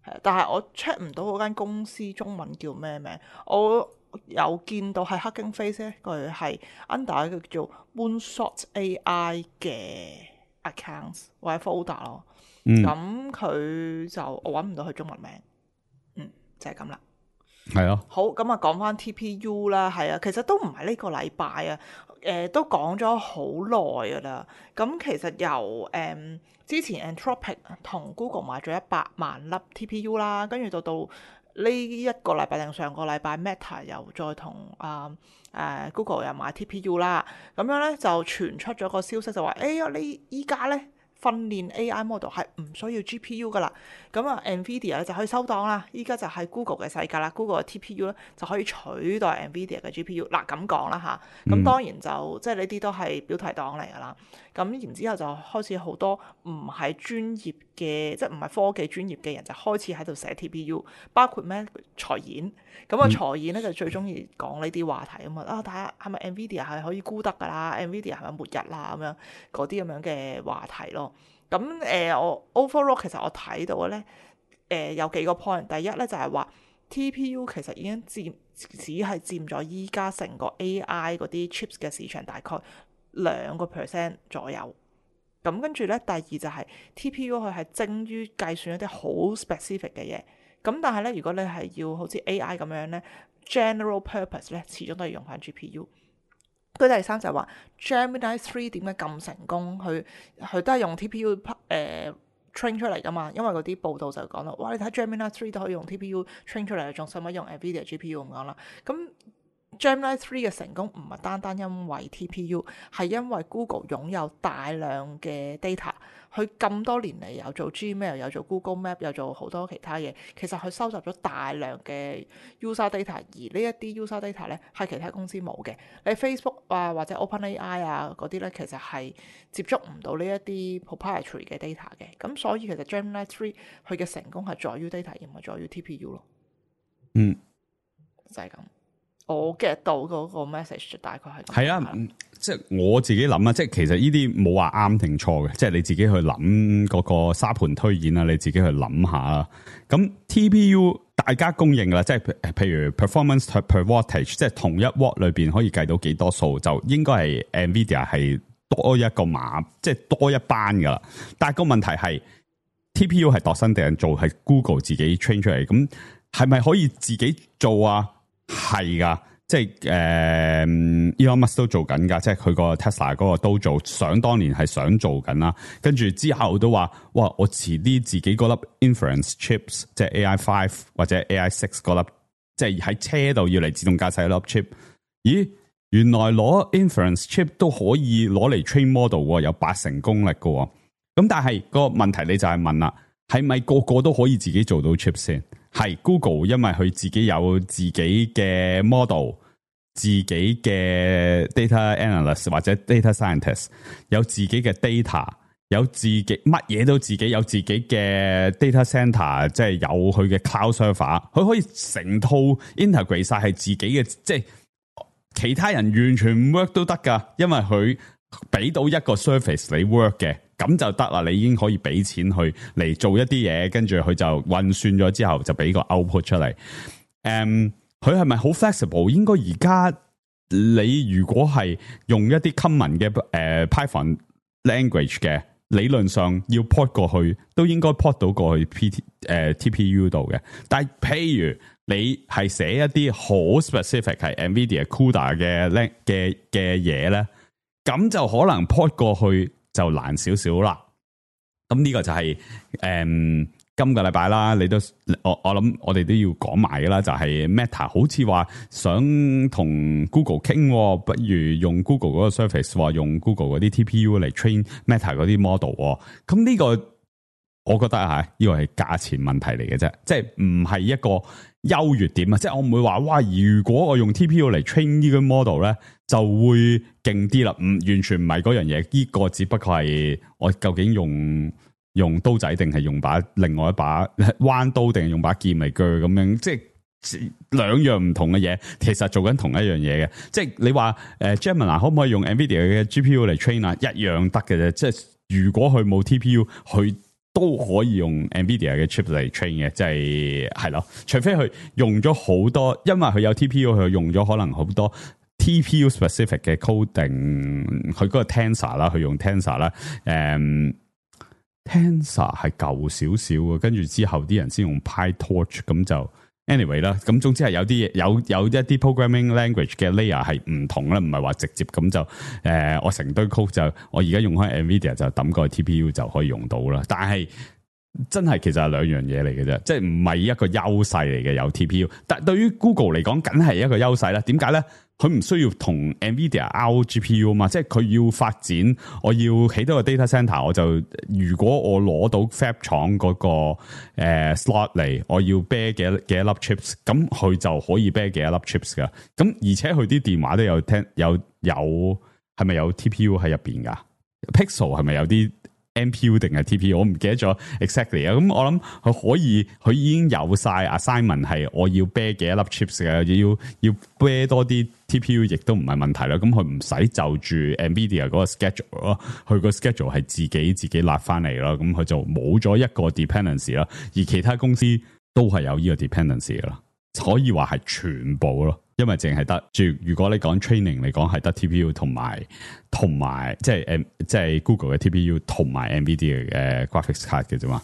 係，但係我 check 唔到嗰間公司中文叫咩名。我有見到係 Hugging Face 咧，佢係 under 一個叫做 Moonshot A I 嘅 accounts 或者 folder 咯。咁佢、嗯、就我揾唔到佢中文名。嗯，就係咁啦。係啊。好，咁啊講翻 T P U 啦，係啊，其實都唔係呢個禮拜啊，誒、呃、都講咗好耐噶啦。咁其實由誒、嗯、之前 Anthropic 同 Google 買咗一百萬粒 T P U 啦，跟住到到呢一個禮拜定上個禮拜 Meta 又再同啊誒 Google 又買 T P U 啦，咁樣咧就傳出咗個消息就話，哎呀你依家咧訓練 A I model 係唔需要 G P U 噶啦，咁啊 Nvidia 咧就可以收檔啦。依家就係 Google 嘅世界啦 ，Google 嘅 T P U 咧就可以取代 Nvidia 嘅 G P U。嗱咁講啦吓，咁當然就、嗯、即係呢啲都係標題黨嚟噶啦。咁然之後就開始好多唔係專業嘅，即係唔係科技專業嘅人就開始喺度寫 T P U，包括咩財演。咁啊財演咧就最中意講呢啲話題啊嘛，啊睇下係咪 Nvidia 係可以沽得噶啦 ，Nvidia 係咪末日啦咁樣嗰啲咁樣嘅話題咯。咁誒、呃，我 overall 其實我睇到嘅咧，誒、呃、有幾個 point。第一咧就係、是、話 T P U 其實已經佔只係佔咗依家成個 A I 嗰啲 chips 嘅市場大概兩個 percent 左右。咁跟住咧，第二就係 T P U 佢係精於計算一啲好 specific 嘅嘢。咁但係咧，如果你係要好似 A I 咁樣咧 general purpose 咧，始終都係用翻 G P U。佢第三就係話 Gemini three 點解咁成功？佢佢都係用 T P U 誒、呃、train 出嚟噶嘛？因為嗰啲報道就講啦，哇！你睇 Gemini three 都可以用 T P U train 出嚟，仲使乜用 Nvidia G P U 咁講啦？咁 Gemini three 嘅成功唔係單單因為 T P U， 係因為 Google 擁有大量嘅 data。佢咁多年嚟有做 Gmail， 有做 Google Map， 有做好多其他嘢。其實佢收集咗大量嘅 user data， 而呢一啲 user data 咧係其他公司冇嘅。你 Facebook 啊或者 OpenAI 啊嗰啲咧，其實係接觸唔到呢一啲 proprietary 嘅 data 嘅。咁所以其實 Gemini three 佢嘅成功係在於 data，而唔係在於 T P U 咯。嗯，就係咁。我 get 到嗰個 message 大概係係啊，即係我自己諗啊，即係其實呢啲冇話啱定錯嘅，即係你自己去諗嗰個沙盤推演啊，你自己去諗下啦。咁 T P U 大家公認啦，即係譬如 performance per wattage，即係同一 watt 裏邊可以計到幾多數，就應該係 Nvidia 係多一個碼，即係多一班噶啦。但係個問題係 T P U 係度身訂做，係 Google 自己 train 出嚟，咁係咪可以自己做啊？係噶，即係誒 Elon Musk 都做緊噶，即係佢個 Tesla 嗰個都做，想當年係想做緊啦。跟住之後都話，哇！我遲啲自己嗰粒 inference chips，即係 A I five 或者 A I six 嗰粒，即係喺車度要嚟自動駕駛嗰粒 chip。咦？原來攞 inference chip 都可以攞嚟 train model，有八成功力噶。咁但係個問題你就係問啦，係咪個個都可以自己做到 chip 先？係 Google，因為佢自己有自己嘅 model， 自己嘅 data analyst 或者 data scientist， 有自己嘅 data， 有自己乜嘢都自己有自己嘅 data center， 即係有佢嘅 cloud server， 佢可以成套 integrate 晒係自己嘅，即係其他人完全唔 work 都得噶，因為佢俾到一個 service 你 work 嘅。咁就得啦，你已經可以俾錢去嚟做一啲嘢，跟住佢就運算咗之後就俾個 output 出嚟。誒、um，佢係咪好 flexible？ 應該而家你如果係用一啲 common 嘅誒、呃、Python language 嘅，理論上要 port 過去都應該 port 到過去 P T 誒、呃、T P U 度嘅。但係譬如你係寫一啲好 specific 係 Nvidia CUDA 嘅嘅嘅嘢咧，咁就可能 port 過去就難少少啦。咁呢個就係、是、誒、嗯、今個禮拜啦，你都我我諗我哋都要講埋噶啦，就係、是、Meta 好似話想同 Google 傾，不如用 Google 嗰個 service， 話用 Google 嗰啲 T P U 嚟 train Meta 嗰啲 model。咁呢個我覺得吓，呢個係價錢問題嚟嘅啫，即係唔係一個優越點啊！即係我唔會話哇，如果我用 T P U 嚟 train 呢個 model 咧，就會勁啲啦。唔完全唔係嗰樣嘢，呢、這個只不過係我究竟用用刀仔定係用把另外一把彎刀定係用把劍嚟鋸咁樣，即係兩樣唔同嘅嘢，其實做緊同一樣嘢嘅。即係你話誒 Gemini 可唔可以用 Nvidia 嘅 G P U 嚟 train 啊？一樣得嘅啫。即係如果佢冇 T P U，佢都可以用 Nvidia 嘅 chip 嚟 train 嘅，即係係咯。除非佢用咗好多，因為佢有 T P U，佢用咗可能好多 T P U specific 嘅 coding， 佢嗰個 Tensor 啦，佢用 Tensor 啦，誒。Tensor 係舊少少嘅，跟住之後啲人先用 PyTorch， 咁就 anyway 啦。咁總之係有啲嘢，有有一啲 programming language 嘅 layer 係唔同啦，唔係話直接咁就誒、呃，我成堆 code 就我而家用開 Nvidia 就抌個 T P U 就可以用到啦。但係真係其實係兩樣嘢嚟嘅啫，即係唔係一個優勢嚟嘅有 T P U。但係對於 Google 嚟講，梗係一個優勢啦。點解咧？佢唔需要同 Nvidia out G P U 嘛，即係佢要發展，我要起到個 data center， 我就如果我攞到 Fab 廠嗰、那個誒、呃、slot 嚟，我要啤幾幾多粒 chips， 咁佢就可以啤幾多粒 chips 噶。咁而且佢啲電話都有聽有有係咪有 T P U 喺入邊噶 ？Pixel 係咪有啲 N P U 定係 T P U？ 我唔記得咗 exactly 啊。咁我諗佢可以，佢已經有晒 assignment 係我要啤幾多粒 chips 嘅，要要啤多啲。T P U 亦都唔係問題啦，咁佢唔使就住 Nvidia 嗰個 schedule 咯，佢個 schedule 係自己自己立翻嚟咯，咁佢就冇咗一個 dependency 啦，而其他公司都係有呢個 dependency 噶啦，可以話係全部咯，因為淨係得住如果你講 training 嚟講係得 T P U 同埋同埋即係誒即係 Google 嘅 T P U 同埋 Nvidia 嘅 graphics card 嘅啫嘛。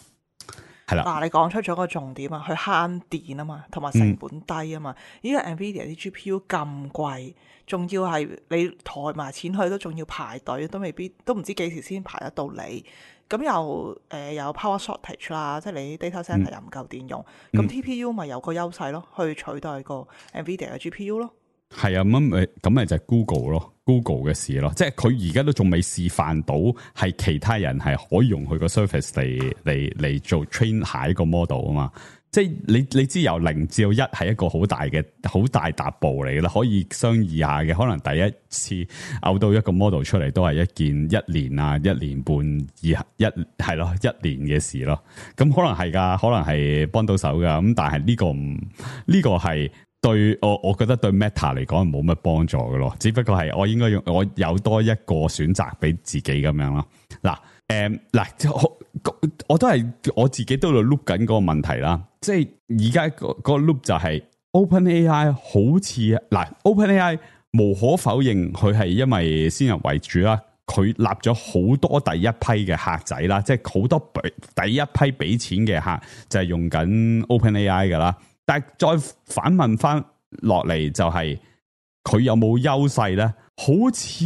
係啦，嗱，你講出咗個重點啊，佢慳電啊嘛，同埋成本低啊嘛。依家 Nvidia 啲 G P U 咁貴，仲要係你抬埋錢去都仲要排隊，都未必都唔知幾時先排得到你。咁又誒、呃、有 power shortage 啦，即係你 data center 又唔夠電用，咁、嗯、T P U 咪有個優勢咯，去取代個 Nvidia 嘅 G P U 咯。係啊，咁咪咁咪就係 Google 咯 ，Google 嘅事咯，即係佢而家都仲未示範到係其他人係可以用佢個 service 嚟嚟嚟做 train 下一個 model 啊嘛，即係你你知由零至到一係一個好大嘅好大踏步嚟啦，可以商議下嘅，可能第一次嘔到一個 model 出嚟都係一件一年啊一年半以一係咯一年嘅事咯，咁可能係噶，可能係幫到手噶，咁但係呢個唔呢個係。對我，我覺得對 Meta 嚟講係冇乜幫助嘅咯，只不過係我應該用我有多一個選擇俾自己咁樣咯。嗱，誒，嗱，我我都係我自己都喺度 loop 緊嗰個問題啦。即係而家個個 loop 就係 OpenAI 好似嗱 ，OpenAI 無可否認佢係因為先入為主啦，佢立咗好多第一批嘅客仔啦，即係好多第一批俾錢嘅客就係用緊 OpenAI 噶啦。但係再反問翻落嚟就係佢有冇優勢咧？好似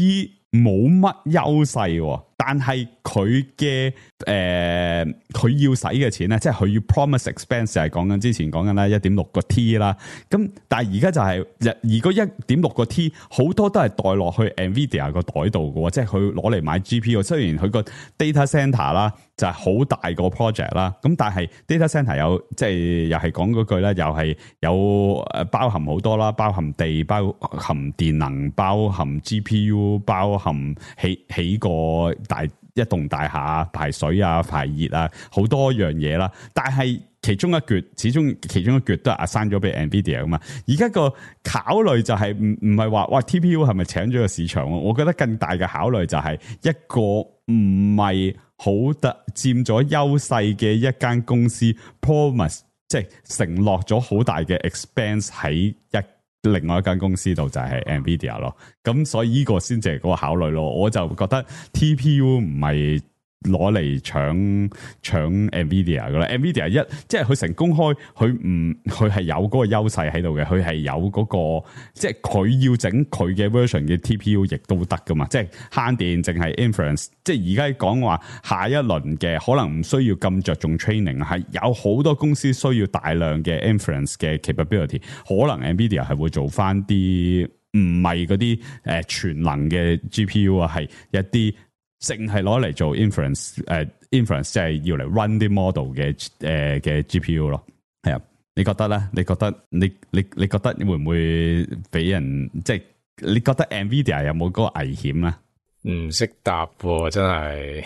冇乜優勢，但係佢嘅誒佢要使嘅錢咧，即係佢要 promise expense 就係講緊之前講緊啦一點六個 T 啦。咁但係而家就係而嗰一點六個 T 好多都係代落去 Nvidia 個袋度嘅，即係佢攞嚟買 G P U。雖然佢個 data center 啦就係好大個 project 啦，咁但係 data center 有即係又係講嗰句咧，又係有誒包含好多啦，包含地、包含電能、包含 G P U、包含起起個大一棟大廈排水啊、排熱啊，好多樣嘢啦。但係其中一橛，始終其中一橛都係 assign 咗俾 Nvidia 噶嘛。而家個考慮就係唔唔係話哇 T P U 係咪請咗個市場？我覺得更大嘅考慮就係一個唔係好得佔咗優勢嘅一間公司 promise， 即係承諾咗好大嘅 expense 喺一另外一間公司度就係 Nvidia 咯，咁所以呢個先至係嗰個考慮咯。我就覺得 T P U 唔係攞嚟搶搶 Nvidia 噶啦 ，Nvidia 一即係佢成功開，佢唔佢係有嗰個優勢喺度嘅，佢係有嗰個即係佢要整佢嘅 version 嘅 T P U 亦都得噶嘛，即係慳電，淨係 inference。即係而家講話下一輪嘅可能唔需要咁着重 training， 係有好多公司需要大量嘅 inference 嘅 capability， 可能 Nvidia 係會做翻啲唔係嗰啲誒全能嘅 G P U 啊，係一啲。淨係攞嚟做 inference，誒、uh, inference 即係要嚟 run 啲 model 嘅誒嘅 G P U 咯，係啊？你覺得咧？你覺得你你你覺得會唔會俾人即係？你覺得 Nvidia 有冇嗰個危險咧？唔識答喎，真係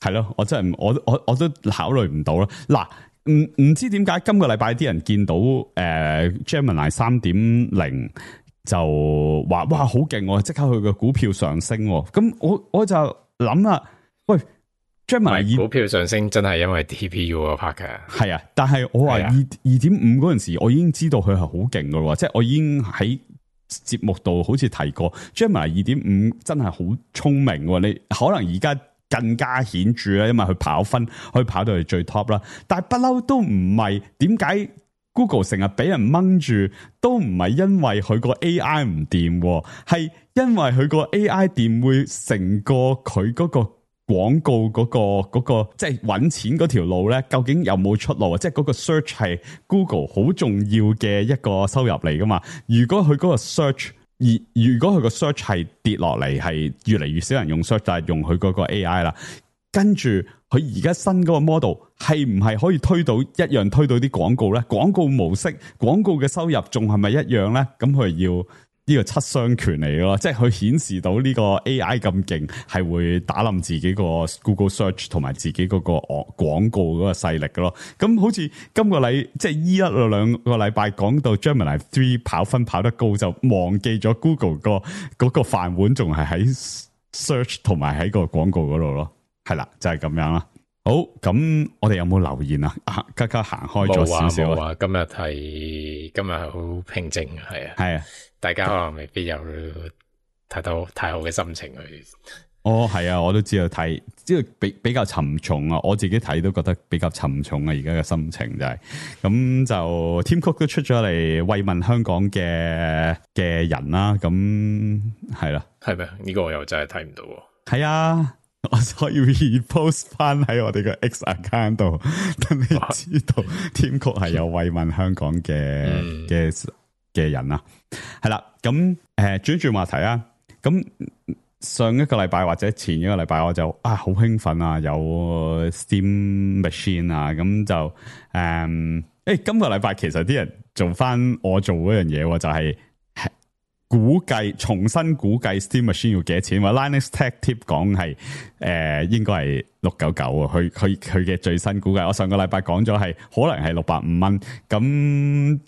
係咯，我真係我我我都考慮唔到啦。嗱，唔唔知點解今個禮拜啲人見到誒、呃、Gemini 三點零就話哇好勁，我即刻佢個股票上升。咁我我就諗啦，喂 Gemini 股票上升真係因為 T P U 個 part 嘅，係啊，但係我話二二點五嗰陣時，我已經知道佢係好勁噶咯，即係我已經喺節目度好似提過 Gemini 二點五真係好聰明，你可能而家更加顯著啦，因為佢跑分可以跑到去最 top 啦。但係不嬲都唔係，點解 Google 成日俾人掹住，都唔係因為佢個 A I 唔掂，係因為佢個 A I 掂會成個佢嗰個廣告嗰、嗰個嗰、嗰個即係搵錢嗰條路咧，究竟有冇出路啊？即係嗰個 search 係 Google 好重要嘅一個收入嚟噶嘛？如果佢嗰個 search 而如果佢個 search 係跌落嚟，係越嚟越少人用 search， 但係用佢嗰個 A I 啦，跟住佢而家新嗰個 model 係唔係可以推到一樣推到啲廣告咧？廣告模式、廣告嘅收入仲係咪一樣咧？咁佢要呢個七傷拳嚟咯，即係佢顯示到呢個 A I 咁勁，係會打冧自己個 Google Search 同埋自己嗰個廣告嗰個勢力嘅咯。咁好似今個禮即係依一兩個禮拜講到 Gemini 三跑分跑得高，就忘記咗 Google 個嗰個飯碗仲係喺 Search 同埋喺個廣告嗰度咯。係啦，就係、是、咁樣啦。好，咁我哋有冇留言啊？啊，家家行開咗少少啊。今日係今日係好平靜，係啊，係啊。大家可能未必有睇到太好嘅心情去。哦，係啊，我都知道睇，即係比比較沉重啊。我自己睇都覺得比較沉重啊。而家嘅心情就係、是、咁就 Tim Cook 都出咗嚟慰問香港嘅嘅人啦。咁係啦，係咩？呢、這個我又真係睇唔到。係啊，我所以 repost 翻喺我哋嘅 X account 度，等你知道 Tim Cook 係有慰問香港嘅嘅。嗯嘅人啊，係啦，咁誒轉轉話題啊，咁上一個禮拜或者前一個禮拜我就啊好興奮啊，有 Steam Machine 啊，咁就誒誒、嗯欸、今個禮拜其實啲人做翻我做嗰樣嘢，就係、是、估計重新估計 Steam Machine 要幾多錢，話 Linus Tech Tip 講係誒應該係六九九啊，佢佢佢嘅最新估計，我上個禮拜講咗係可能係六百五蚊咁。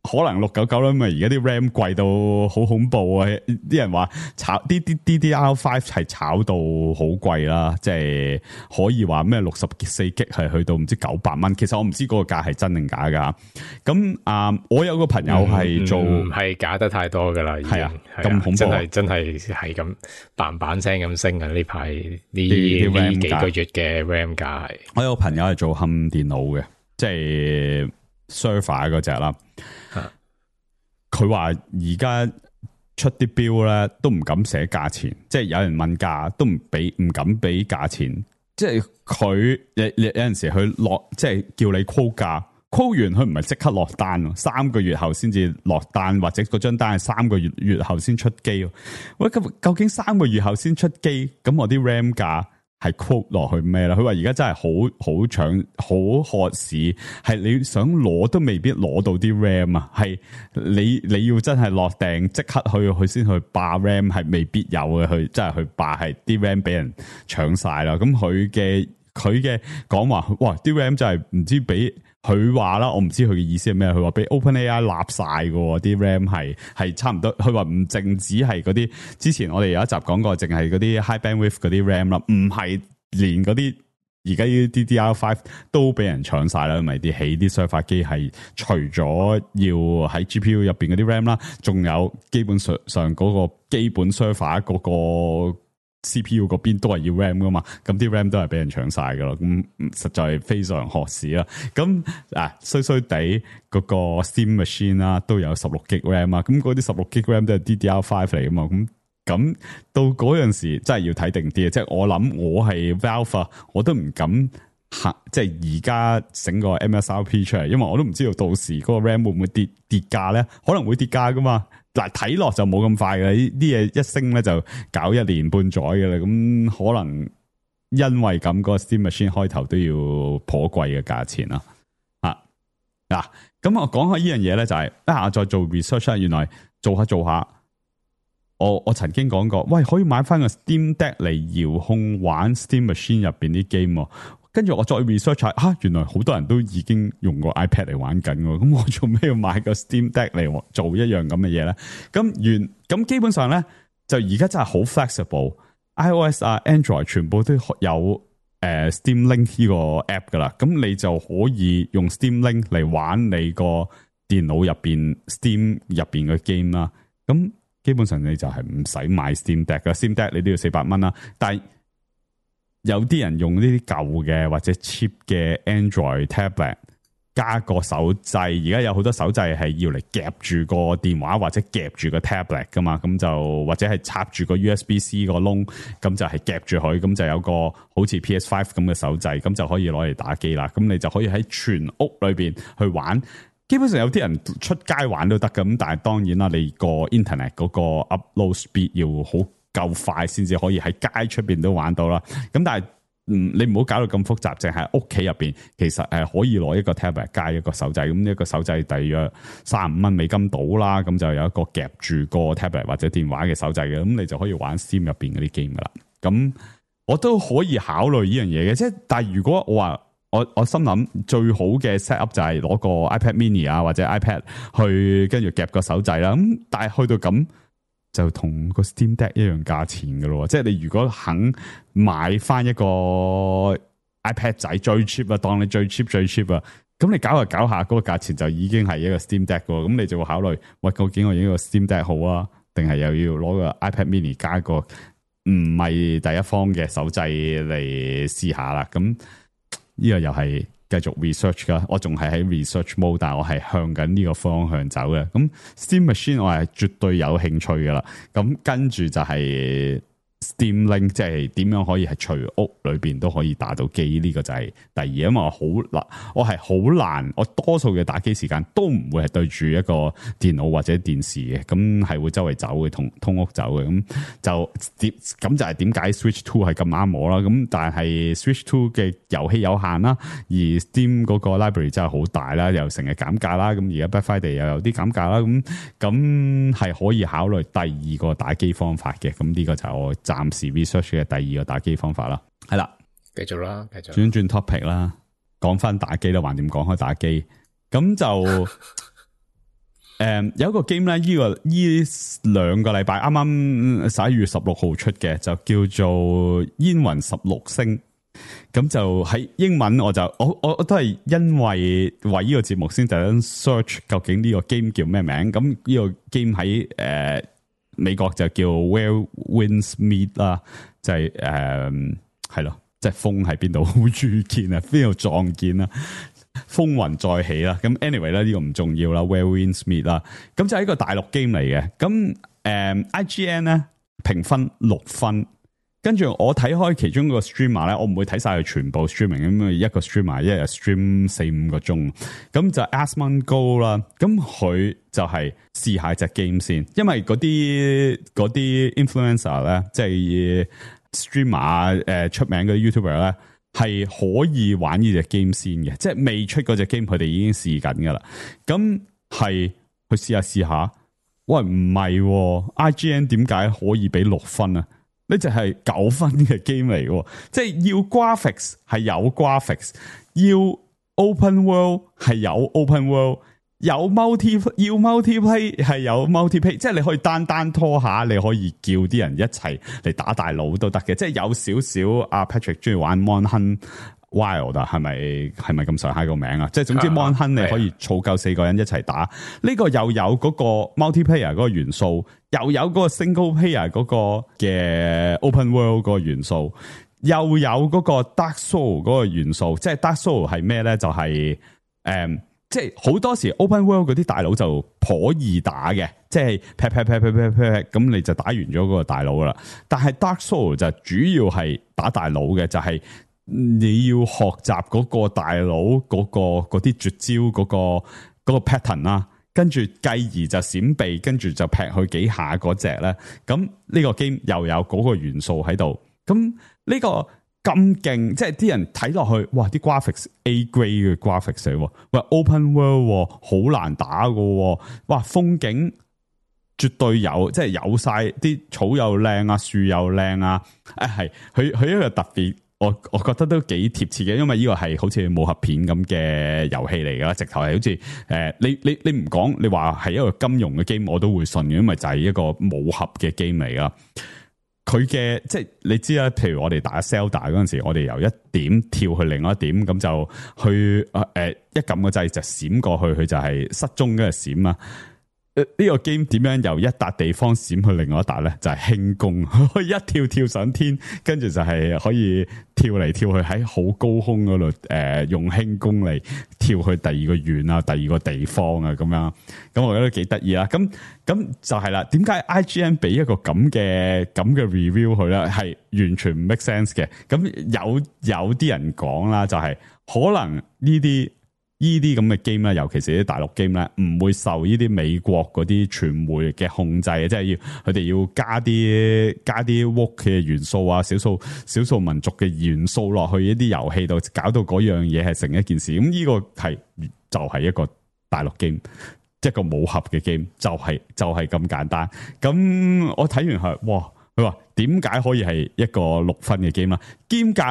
可能六九九啦，因為而家啲 RAM 貴到好恐怖啊！啲人話炒啲啲 D D R 五係炒到好貴啦，即係可以話咩六十四 G 係去到唔知九百蚊。其實我唔知嗰個價係真定假噶。咁啊、呃，我有個朋友係做係、嗯、假得太多噶啦，係啊，咁恐怖，真係真係係咁嘭嘭聲咁升啊！呢排呢呢幾個月嘅 RAM 價係，我有個朋友係做冚電腦嘅，即係 server 嗰隻啦。佢話而家出啲標咧都唔敢寫價錢，即係有人問價都唔俾，唔敢俾價錢。即係佢有有陣時佢落，即係叫你 quote 價，quote 完佢唔係即刻落單，三個月後先至落單，或者嗰張單係三個月月後先出機。喂，咁究竟三個月後先出機，咁我啲 RAM 價係 quote 落去咩啦？佢話而家真係好好搶好渴市，係你想攞都未必攞到啲 RAM 啊！係你你要真係落訂即刻去去先去霸 RAM 係未必有嘅，去真係去霸係啲 RAM 俾人搶晒啦。咁佢嘅佢嘅講話，哇！啲 RAM 真係唔知俾。佢話啦，我唔知佢嘅意思係咩。佢話俾 OpenAI 立晒嘅啲 RAM 係係差唔多。佢話唔淨止係嗰啲，之前我哋有一集講過，淨係嗰啲 high bandwidth 嗰啲 RAM 啦，唔係連嗰啲而家啲 D D R 五都俾人搶晒啦。因為啲起啲 server 機係除咗要喺 G P U 入邊嗰啲 RAM 啦，仲有基本上上嗰個基本 server 嗰個。C P U 嗰邊都係要 RAM 噶嘛，咁啲 RAM 都係俾人搶晒噶啦，咁實在係非常渴市啦。咁啊衰衰地嗰個 Steam Machine 啦，都有十六 G RAM 啊，咁嗰啲十六 G RAM 都係 D D R 五嚟噶嘛，咁咁到嗰陣時真係要睇定啲啊！即係我諗我係 Valve， 我都唔敢吓，即係而家整個 M S R P 出嚟，因為我都唔知道到時嗰個 RAM 會唔會跌跌價咧，可能會跌價噶嘛。嗱，睇落就冇咁快嘅，呢啲嘢一升咧就搞一年半載嘅啦。咁可能因為咁，嗰個 Steam Machine 開頭都要頗貴嘅價錢啦。啊，嗱，咁我講下呢樣嘢咧，就係啊，再做 research，原來做下做下，我我曾經講過，喂，可以買翻個 Steam Deck 嚟遙控玩 Steam Machine 入邊啲 game。跟住我再 research 下，吓、啊、原來好多人都已經用過 iPad 嚟玩緊，咁我做咩要買個 Steam Deck 嚟做一樣咁嘅嘢咧？咁原咁基本上咧，就而家真係好 flexible，iOS 啊 Android 全部都有誒、呃、Steam Link 呢個 app 噶啦，咁你就可以用 Steam Link 嚟玩你個電腦入邊 Steam 入邊嘅 game 啦。咁基本上你就係唔使買 Steam Deck 噶 ，Steam Deck 你都要四百蚊啦，但係有啲人用呢啲舊嘅或者 cheap 嘅 Android tablet 加個手掣，而家有好多手掣係要嚟夾住個電話或者夾住個 tablet 噶嘛，咁就或者係插住個 U S B C 個窿，咁就係夾住佢，咁就有個好似 P S 五 咁嘅手掣，咁就可以攞嚟打機啦。咁你就可以喺全屋裏邊去玩。基本上有啲人出街玩都得㗎，咁但係當然啦，你個 internet 嗰個 upload speed 要好夠快先至可以喺街出邊都玩到啦。咁但係嗯，你唔好搞到咁複雜，淨係屋企入邊，其實誒可以攞一個 tablet 加一個手掣，咁一個手掣大約三十五蚊美金到啦，咁就有一個夾住個 tablet 或者電話嘅手掣嘅，咁你就可以玩 Steam 入邊嗰啲 game 噶啦。咁我都可以考慮呢樣嘢嘅，即係但係如果我話我我心諗最好嘅 set up 就係攞個 iPad mini 啊或者 iPad 去跟住夾個手掣啦，咁但係去到咁。就同個 Steam Deck 一樣價錢噶咯，即係你如果肯買翻一個 iPad 仔最 cheap 啊，當你最 cheap 最 cheap 啊，咁你搞下搞下嗰個價錢就已經係一個 Steam Deck 噶，咁你就會考慮，喂，究竟我用一個 Steam Deck 好啊，定係又要攞個 iPad mini 加個唔係第一方嘅手掣嚟試下啦？咁呢個又係。繼續 research 噶，我仲係喺 research mode，但係我係向緊呢個方向走嘅。咁 Steam Machine 我係絕對有興趣噶啦。咁跟住就係 Steam Link，即係點樣可以係隨屋裏邊都可以打到機？呢、這個就係第二。因為我好難，我係好難，我多數嘅打機時間都唔會係對住一個電腦或者電視嘅，咁係會周圍走嘅，同通屋走嘅。咁就點咁就係點解 Switch Two 係咁啱我啦？咁但係 Switch Two 嘅遊戲有限啦，而 Steam 嗰個 library 真係好大啦，又成日減價啦。咁而家 Black Friday 又有啲減價啦。咁咁係可以考慮第二個打機方法嘅。咁呢個就係我暫時 research 嘅第二個打機方法啦，係啦，繼續啦，繼續轉轉 topic 啦，講翻打機啦，橫掂講開打機，咁就誒、嗯、有一個 game 咧，呢、這個呢兩個禮拜啱啱十一月十六號出嘅，就叫做煙雲十六星，咁就喺英文我就我我我都係因為為呢個節目先特登 search 究竟呢個 game 叫咩名，咁呢個 game 喺誒。呃美國就叫 Where Winds Meet 啦，就係誒係咯，即係風喺邊度遇見啊，邊度撞見啊，風雲再起啦。咁 anyway 咧，呢個唔重要啦 ，Where Winds Meet 啦，咁就係一個大陸 game 嚟嘅。咁誒、呃、I G N 咧評分六分。跟住我睇開其中一個 streamer 咧，我唔會睇晒佢全部 streaming，咁一個 streamer 一日 stream 四五個鐘，咁就 Asmongold 啦。咁佢就係試下隻 game 先，因為嗰啲嗰啲 influencer 咧，即係 streamer 誒出名嗰啲 YouTuber 咧，係可以玩呢隻 game 先嘅，即係未出嗰隻 game，佢哋已經試緊噶啦。咁係去試下試下，喂唔係 I G N 點解可以俾六分啊？呢就係九分嘅 game 嚟嘅，即係要 graphics 係有 graphics， 要 open world 係有 open world， 有 multi 要 multiplay 係有 multiplay， 即係你可以單單拖下，你可以叫啲人一齊嚟打大佬都得嘅，即係有少少阿 Patrick 中意玩 Monhan Wild 係咪係咪咁上下個名啊？即係總之 Monhan 你可以儲夠四個人一齊打，呢、這個又有嗰個 multiplayer 嗰個元素，又有嗰個 single player 嗰個嘅 open world 嗰個元素，又有嗰個 Dark Soul 嗰個元素。即係 Dark Soul 係咩咧？就係、是、誒、嗯，即係好多時 open world 嗰啲大佬就頗易打嘅，即係劈劈劈劈劈劈，咁你就打完咗嗰個大佬啦。但係 Dark Soul 就主要係打大佬嘅，就係、是。你要學習嗰個大佬嗰、嗰個嗰啲絕招嗰、嗰個嗰、嗰個 pattern 啦，跟住繼而就閃避，跟住就劈佢幾下嗰隻咧。咁呢個 game 又有嗰個元素喺度。咁呢個咁勁，即係啲人睇落去，哇！啲 graphics A grade 嘅 graphics 嚟，喂 open world 好難打㗎，哇！風景絕對有，即係有晒啲草又靚啊，樹又靚啊，誒係佢佢一個特別。我我覺得都幾貼切嘅，因為呢個係好似武俠片咁嘅遊戲嚟噶，直頭係好似誒、呃，你你你唔講，你話係一個金庸嘅 game，我都會信嘅，因為就係一個武俠嘅 game 嚟噶。佢嘅即係你知啦，譬如我哋打 Zelda 嗰陣時，我哋由一點跳去另外一點，咁就去誒、呃、一撳個掣就閃過去，佢就係失蹤嘅閃啊。呢個 game 點樣由一笪地方閃去另外一笪咧？就係、是、輕功，可以一跳跳上天，跟住就係可以跳嚟跳去喺好高空嗰度，誒、呃、用輕功嚟跳去第二個縣啊，第二個地方啊，咁樣，咁我覺得幾得意啦。咁咁就係啦。點解 I G N 俾一個咁嘅咁嘅 review 佢咧？係完全唔 make sense 嘅。咁有有啲人講啦，就係、是、可能呢啲。呢啲咁嘅 game 咧，尤其是啲大陸 game 咧，唔會受呢啲美國嗰啲傳媒嘅控制，即係要佢哋要加啲加啲 woke 嘅元素啊，少數少數民族嘅元素落去一啲遊戲度，搞到嗰樣嘢係成一件事。咁呢個係就係、是、一個大陸 game，一個武俠嘅 game，就係、是、就係、是、咁簡單。咁我睇完係，哇！佢話點解可以係一個六分嘅 game 啊？兼隔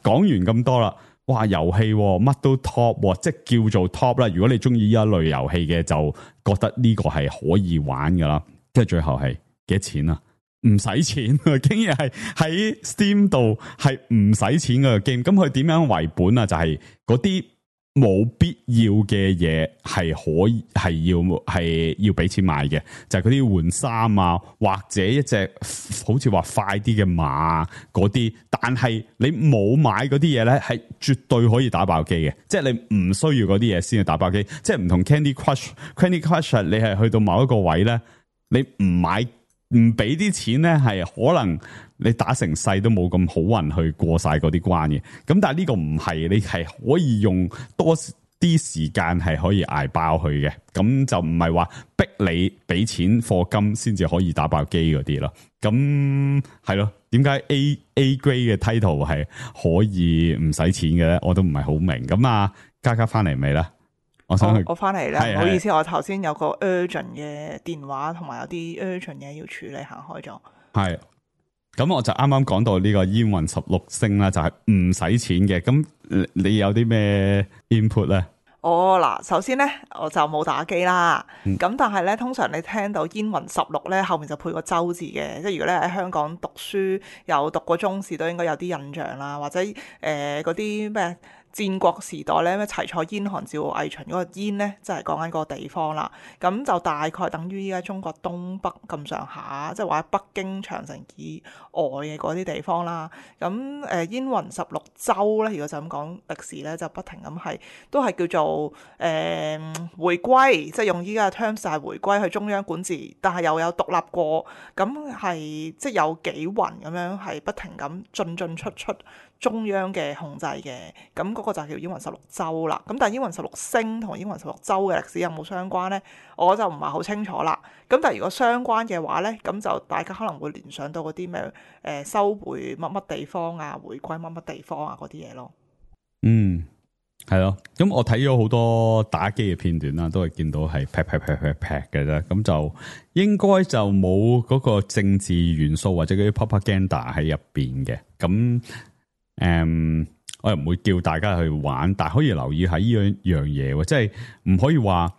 講完咁多啦。哇！遊戲乜都 top， 即係叫做 top 啦。如果你中意呢一類遊戲嘅，就覺得呢個係可以玩噶啦。即係最後係幾多錢啊？唔使錢啊！竟然係喺 Steam 度係唔使錢嘅 game。咁佢點樣為本啊？就係嗰啲冇必要嘅嘢係可以係要係要俾錢買嘅，就係嗰啲換衫啊，或者一隻好似話快啲嘅馬嗰啲。但係你冇買嗰啲嘢咧，係絕對可以打爆機嘅。即係你唔需要嗰啲嘢先去打爆機。即係唔同 Candy Crush，Candy Crush 你係去到某一個位咧，你唔買唔俾啲錢咧，係可能你打成世都冇咁好運去過晒嗰啲關嘅。咁但係呢個唔係，你係可以用多啲時間係可以捱爆佢嘅。咁就唔係話逼你俾錢課金先至可以打爆機嗰啲咯。咁係咯，點解 A A grade 嘅 title 係可以唔使錢嘅咧？我都唔係好明。咁啊，嘉嘉翻嚟未咧？我想去，我翻嚟啦，唔係好意思，我頭先有個 urgent 嘅電話，同埋有啲 urgent 嘢要處理，行開咗。係，咁我就啱啱講到呢個煙雲十六星啦，就係唔使錢嘅。咁你有啲咩 input 咧？哦，嗱，首先咧，我就冇打機啦。咁、嗯、但係咧，通常你聽到煙雲十六咧，後面就配個周字嘅，即係如果你喺香港讀書有讀過中史，都應該有啲印象啦，或者誒嗰啲咩？戰國時代咧，咩齊楚燕韓趙魏秦嗰個燕咧，就係講緊嗰個地方啦。咁就大概等於依家中國東北咁上下，即係話北京長城以外嘅嗰啲地方啦。咁誒燕雲十六州咧，如果就咁講歷史咧，就不停咁係都係叫做誒、呃、回歸，即係用依家嘅 terms 就係回歸去中央管治，但係又有獨立過，咁係即係有幾雲咁樣係不停咁進進出出中央嘅控制嘅。咁嗰個就叫燕雲十六州啦，咁但係燕雲十六星同燕雲十六州嘅歷史有冇相關呢？我就唔係好清楚啦。咁但係如果相關嘅話呢，咁就大家可能會聯想到嗰啲咩誒收回乜乜地方啊，回歸乜乜地方啊嗰啲嘢咯。嗯，係咯。咁我睇咗好多打機嘅片段啦，都係見到係劈劈劈劈劈嘅啫。咁就應該就冇嗰個政治元素或者嗰啲 propaganda 喺入邊嘅。咁誒。嗯我又唔會叫大家去玩，但係可以留意下呢樣樣嘢，即係唔可以話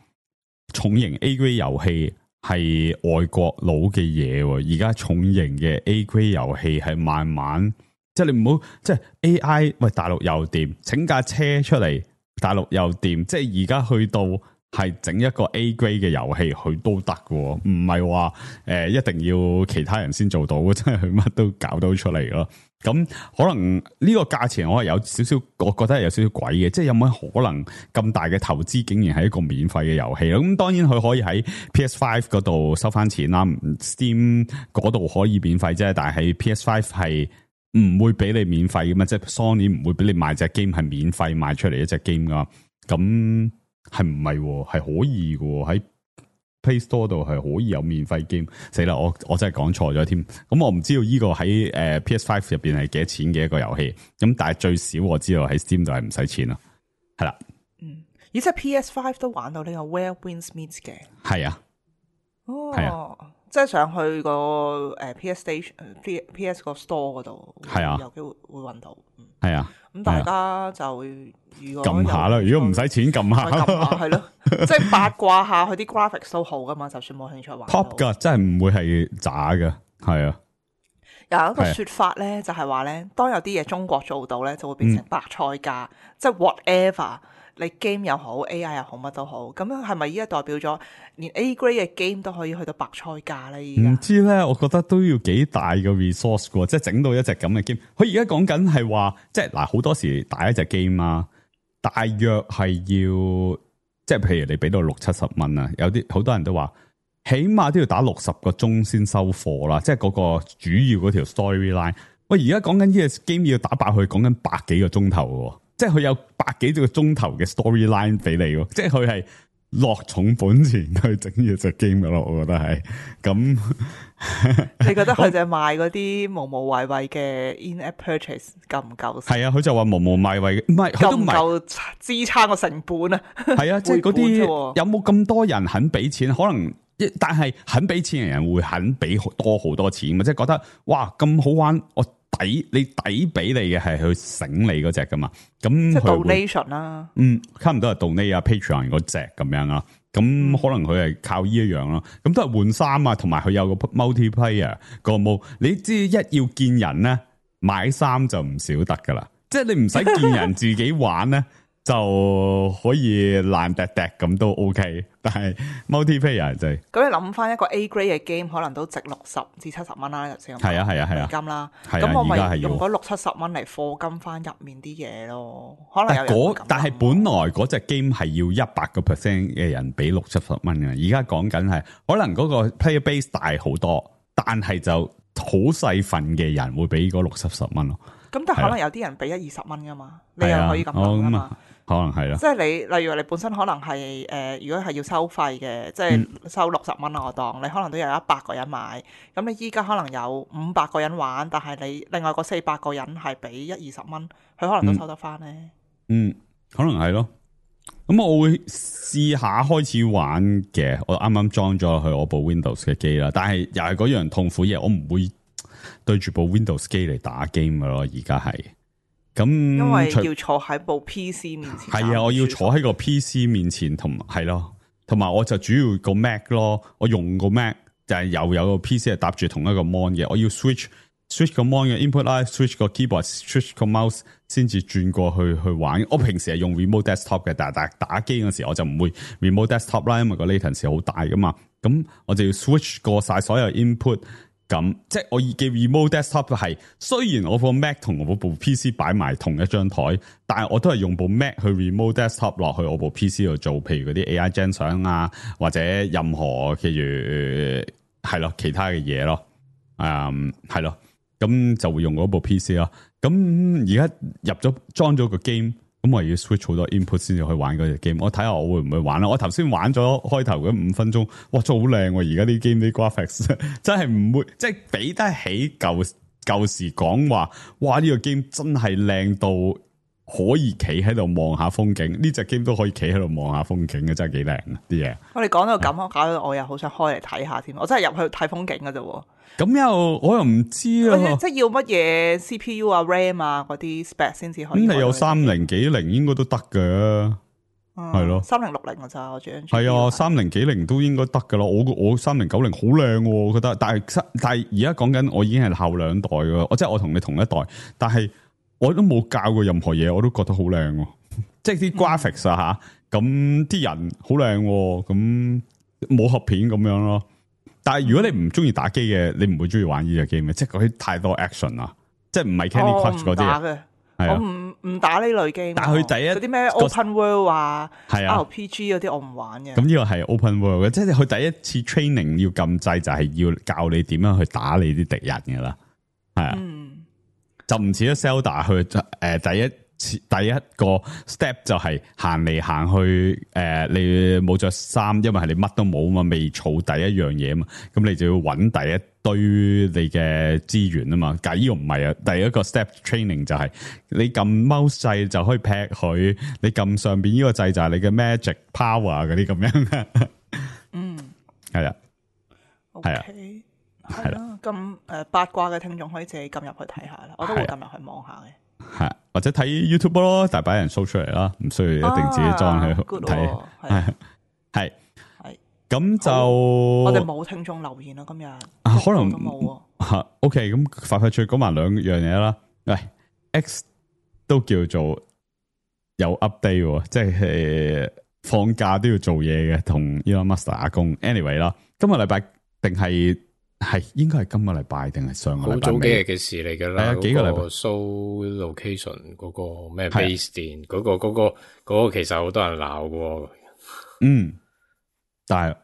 重型 A grade 遊戲係外國佬嘅嘢。而家重型嘅 A grade 遊戲係慢慢，即係你唔好即係 A I 喂，大陸又掂，整架車出嚟，大陸又掂，即係而家去到係整一個 A grade 嘅遊戲，佢都得嘅，唔係話誒一定要其他人先做到，真係佢乜都搞到出嚟咯。咁可能呢個價錢我係有少少，我覺得係有少少鬼嘅，即係有冇可能咁大嘅投資竟然係一個免費嘅遊戲咯？咁當然佢可以喺 P S 五 嗰度收翻錢啦 ，Steam 嗰度可以免費啫，但係喺 P S 五 係唔會俾你免費嘅嘛，即係 Sony 唔會俾你賣隻 game 係免費賣出嚟一隻 game 噶，咁係唔係？係可以嘅喺。Play Store 度係可以有免費 game，死啦！我我真係講錯咗添。咁我唔知道呢個喺誒 P S 五 入邊係幾多錢嘅一個遊戲。咁但係最少我知道喺 Steam 度係唔使錢咯。係啦，嗯，而且 P S 五 都玩到呢個 Where Winds Meet 嘅。係啊，哦，係啊。即係上去個誒 P S Station、P P S 個 store 嗰度，係啊，有機會會揾到。係啊，咁大家就如果撳下啦，如果唔使錢撳下，撳下係咯，即係八卦下佢啲 graphics 都好噶嘛，就算冇興趣玩。top 噶，真係唔會係渣嘅，係啊。有一個說法咧，就係話咧，當有啲嘢中國做到咧，就會變成白菜價，嗯、即係 whatever。你 game 又好 A I 又好乜都好，咁樣係咪依家代表咗連 A grade 嘅 game 都可以去到白菜價咧？唔知咧，我覺得都要幾大嘅 resource 嘅，即係整到一隻咁嘅 game。佢而家講緊係話，即係嗱，好多時打一隻 game 啊，大約係要，即係譬如你俾到六七十蚊啊，有啲好多人都話，起碼都要打六十個鐘先收貨啦，即係嗰個主要嗰條 storyline。喂，而家講緊呢個 game 要打爆佢，講緊百幾個鐘頭嘅。即係佢有百幾個鐘頭嘅 storyline 俾你喎，即係佢係落重本錢去整呢隻 game 噶咯，我覺得係咁。你覺得佢就係賣嗰啲無無謂謂嘅 in-app purchase 夠唔夠？係啊，佢就話無無謂謂，唔係佢都唔夠支撐個成本啊。係啊，即係嗰啲有冇咁多人肯俾錢？可能，但係肯俾錢嘅人會肯俾多好多錢嘛？即係覺得哇咁好玩，我。抵你抵俾你嘅係去醒你嗰隻噶嘛？咁即係 donation 啦，嗯，差唔多係 donate 啊 Patreon 嗰隻咁樣啊。咁可能佢係靠呢一樣咯。咁都係換衫啊，同埋佢有個 multiplayer 個模。你知一要見人咧，買衫就唔少得噶啦。即係你唔使見人自己玩咧。就可以爛滴滴咁都 OK， 但係 multiplayer 就係咁。你諗翻一個 A grade 嘅 game，可能都值六十至七十蚊啦，先係啊係啊係啊金啦。咁、啊、我咪用嗰六七十蚊嚟課金翻入面啲嘢咯。可能有人會咁。但係本來嗰隻 game 係要一百個 percent 嘅人俾六七十蚊嘅，而家講緊係可能嗰個 player base 大好多，但係就好細份嘅人會俾嗰六七十蚊咯。咁但係可能有啲人俾一二十蚊噶嘛，你又可以咁諗噶嘛。可能係咯，即係你，例如你本身可能係誒、呃，如果係要收費嘅，即係收六十蚊啦，我當你可能都有一百個人買，咁你依家可能有五百個人玩，但係你另外嗰四百個人係俾一二十蚊，佢可能都收得翻咧。嗯，可能係咯。咁我會試下開始玩嘅，我啱啱裝咗去我部 Windows 嘅機啦，但係又係嗰樣痛苦嘢，我唔會對住部 Windows 機嚟打 game 噶咯，而家係。咁因為要坐喺部 P C 面前，係啊，我要坐喺個 P C 面前，同係咯，同埋我就主要個 Mac 咯，我用個 Mac 就係又有個 P C 係搭住同一個 mon 嘅，我要 switch switch 個 mon 嘅 input 啦 ，switch 個 keyboard，switch 個 mouse 先至轉過去去玩。我平時係用 remote desktop 嘅，但係打打機嗰時我就唔會 remote desktop 啦，因為個 latency 好大噶嘛。咁我就要 switch 過晒所有 input。咁即係我嘅 remote desktop 係，雖然我部 Mac 同我部 P C 擺埋同一張台，但係我都係用部 Mac 去 remote desktop 落去我部 P C 度做，譬如嗰啲 A I gen 相啊，或者任何譬如係咯其他嘅嘢咯，誒係咯，咁就會用嗰部 P C 咯。咁而家入咗裝咗個 game。咁我要 switch 好多 input 先至去玩嗰隻 game，我睇下我會唔會玩啦。我頭先玩咗開頭嗰五分鐘，哇，真係好靚喎！而家啲 game 啲 graphics 真係唔會，即係比得起舊舊時講話，哇呢個 game 真係靚到可以企喺度望下風景。呢隻 game 都可以企喺度望下風景嘅，真係幾靚啊啲嘢。我哋講到咁，我搞到我又好想開嚟睇下添。我真係入去睇風景㗎啫。咁又我又唔知啊，即係要乜嘢 C P U 啊 RAM 啊嗰啲 spec 先至可以。咁你有三零幾零應該都得嘅，係咯，三零六零嘅咋我最係啊，三零幾零都應該得噶啦。我我三零九零好靚，我覺得。但係但係而家講緊我已經係後兩代噶，我即係我同你同一代，但係我都冇教過任何嘢，我都覺得好靚。即係啲 graphics 啊吓，咁啲人好靚，咁武俠片咁樣咯。但係如果你唔中意打機嘅，你唔會中意玩呢隻 game 嘅，即係嗰啲太多 action 啦，即係唔係 Candy Crush 嗰啲。我唔唔打呢類 game。但係佢第一嗰啲咩 Open World 啊，係啊 R P G 嗰啲我唔玩嘅。咁呢個係 Open World 嘅，即係佢第一次 training 要撳掣，就係要教你點樣去打你啲敵人噶啦，係啊，嗯、就唔似得 Zelda 去誒、呃、第一。第一個 step 就係行嚟行去，誒、呃，你冇着衫，因為係你乜都冇嘛，未儲第一樣嘢嘛，咁你就要揾第一堆你嘅資源啊嘛。但係呢個唔係啊，第一個 step training 就係你撳 mouse 掣就可以劈佢，你撳上邊呢個掣就係你嘅 magic power 嗰啲咁樣。嗯，係啊，係啊。係啦，咁誒八卦嘅聽眾可以自己撳入去睇下啦，我都會撳入去望下嘅。係或者睇 YouTube 咯，大把人 show 出嚟啦，唔需要一定自己裝去睇。係係係咁就我哋冇聽眾留言啦，今日可能都冇啊。OK， 咁快快脆講埋兩樣嘢啦。喂 ，X 都叫做有 update， 即係放假都要做嘢嘅，同 Elon Musk 打工。Anyway 啦，今個禮拜定係。係應該係今個禮拜定係上個禮拜？好早幾日嘅事嚟噶啦。係啊，幾個禮拜。show location 嗰個咩 base 店嗰個嗰個嗰個其實好多人鬧嘅。嗯，但係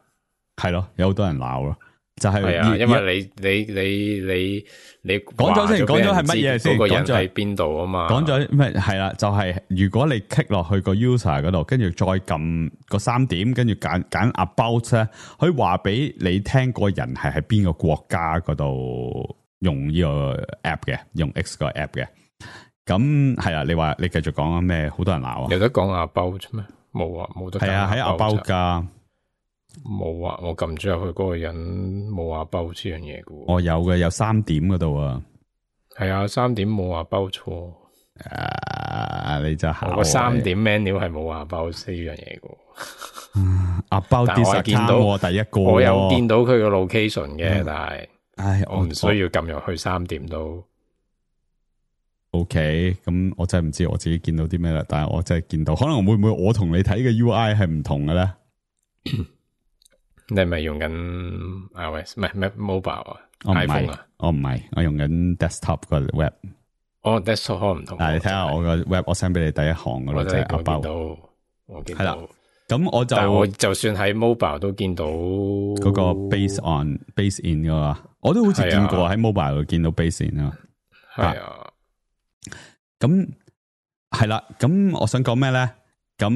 係咯，有好多人鬧咯，就係係啊，因為你你你你你講咗先，講咗係乜嘢先？嗰個人喺邊度啊嘛？講咗咩？係啦，就係如果你 click 落去個 user 嗰度，跟住再撳個三點，跟住揀揀 about 咧，可以話俾你聽個人係喺邊個國家嗰度用呢個 app 嘅，用 X 個 app 嘅。咁係啊，你話你繼續講啊咩？好多人鬧啊！有得講 about 咩？冇啊，冇得。係啊，喺 about 噶。冇啊！我撳咗入去嗰個人冇話包呢樣嘢嘅。我有嘅，有三點嗰度啊。係啊，三點冇話包錯。誒，你就我個三點 menu 係冇話包呢樣嘢嘅。啊，包啲實見到第一個，我有見到佢個 location 嘅，但係，唉，我唔需要撳入去三點都。OK，咁我真係唔知我自己見到啲咩啦，但係我真係見到，可能會唔會我同你睇嘅 U I 係唔同嘅咧？你係咪用緊 iOS 唔係咩 mobile 啊 ？iPhone 啊？我唔係，我用緊 desktop 個 web。哦 desktop 可能唔同。但係你睇下我個 web，我 send 俾你第一行嗰度就係 about。我見到。係啦，咁我就但我就算喺 mobile 都見到嗰個 base on base in 噶嘛，我都好似見過喺 mobile 度見到 base in 啊。係啊。咁係啦，咁我想講咩咧？咁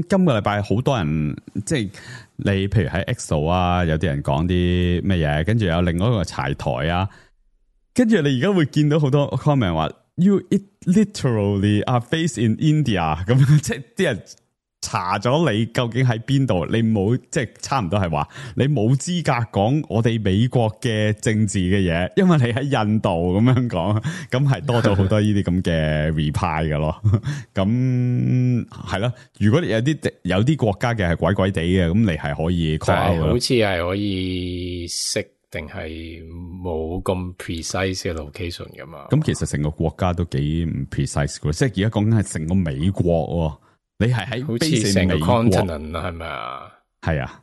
今個禮拜好多人，即係你譬如喺 X 度啊，有啲人講啲咩嘢，跟住有另外一個柴台啊，跟住你而家會見到好多 comment 話 You it literally are based in India 咁，即係啲人查咗你究竟喺邊度，你冇即係差唔多係話你冇資格講我哋美國嘅政治嘅嘢，因為你喺印度咁樣講，咁係多咗好多呢啲咁嘅 reply 嘅咯。咁係咯，如果你有啲有啲國家嘅係鬼鬼地嘅，咁你係可以 call out 好似係可以識定係冇咁 precise 嘅 location 噶嘛？咁其實成個國家都幾唔 precise 嘅，即係而家講緊係成個美國。你係喺好似成個 continent 啊，係咪啊？係啊，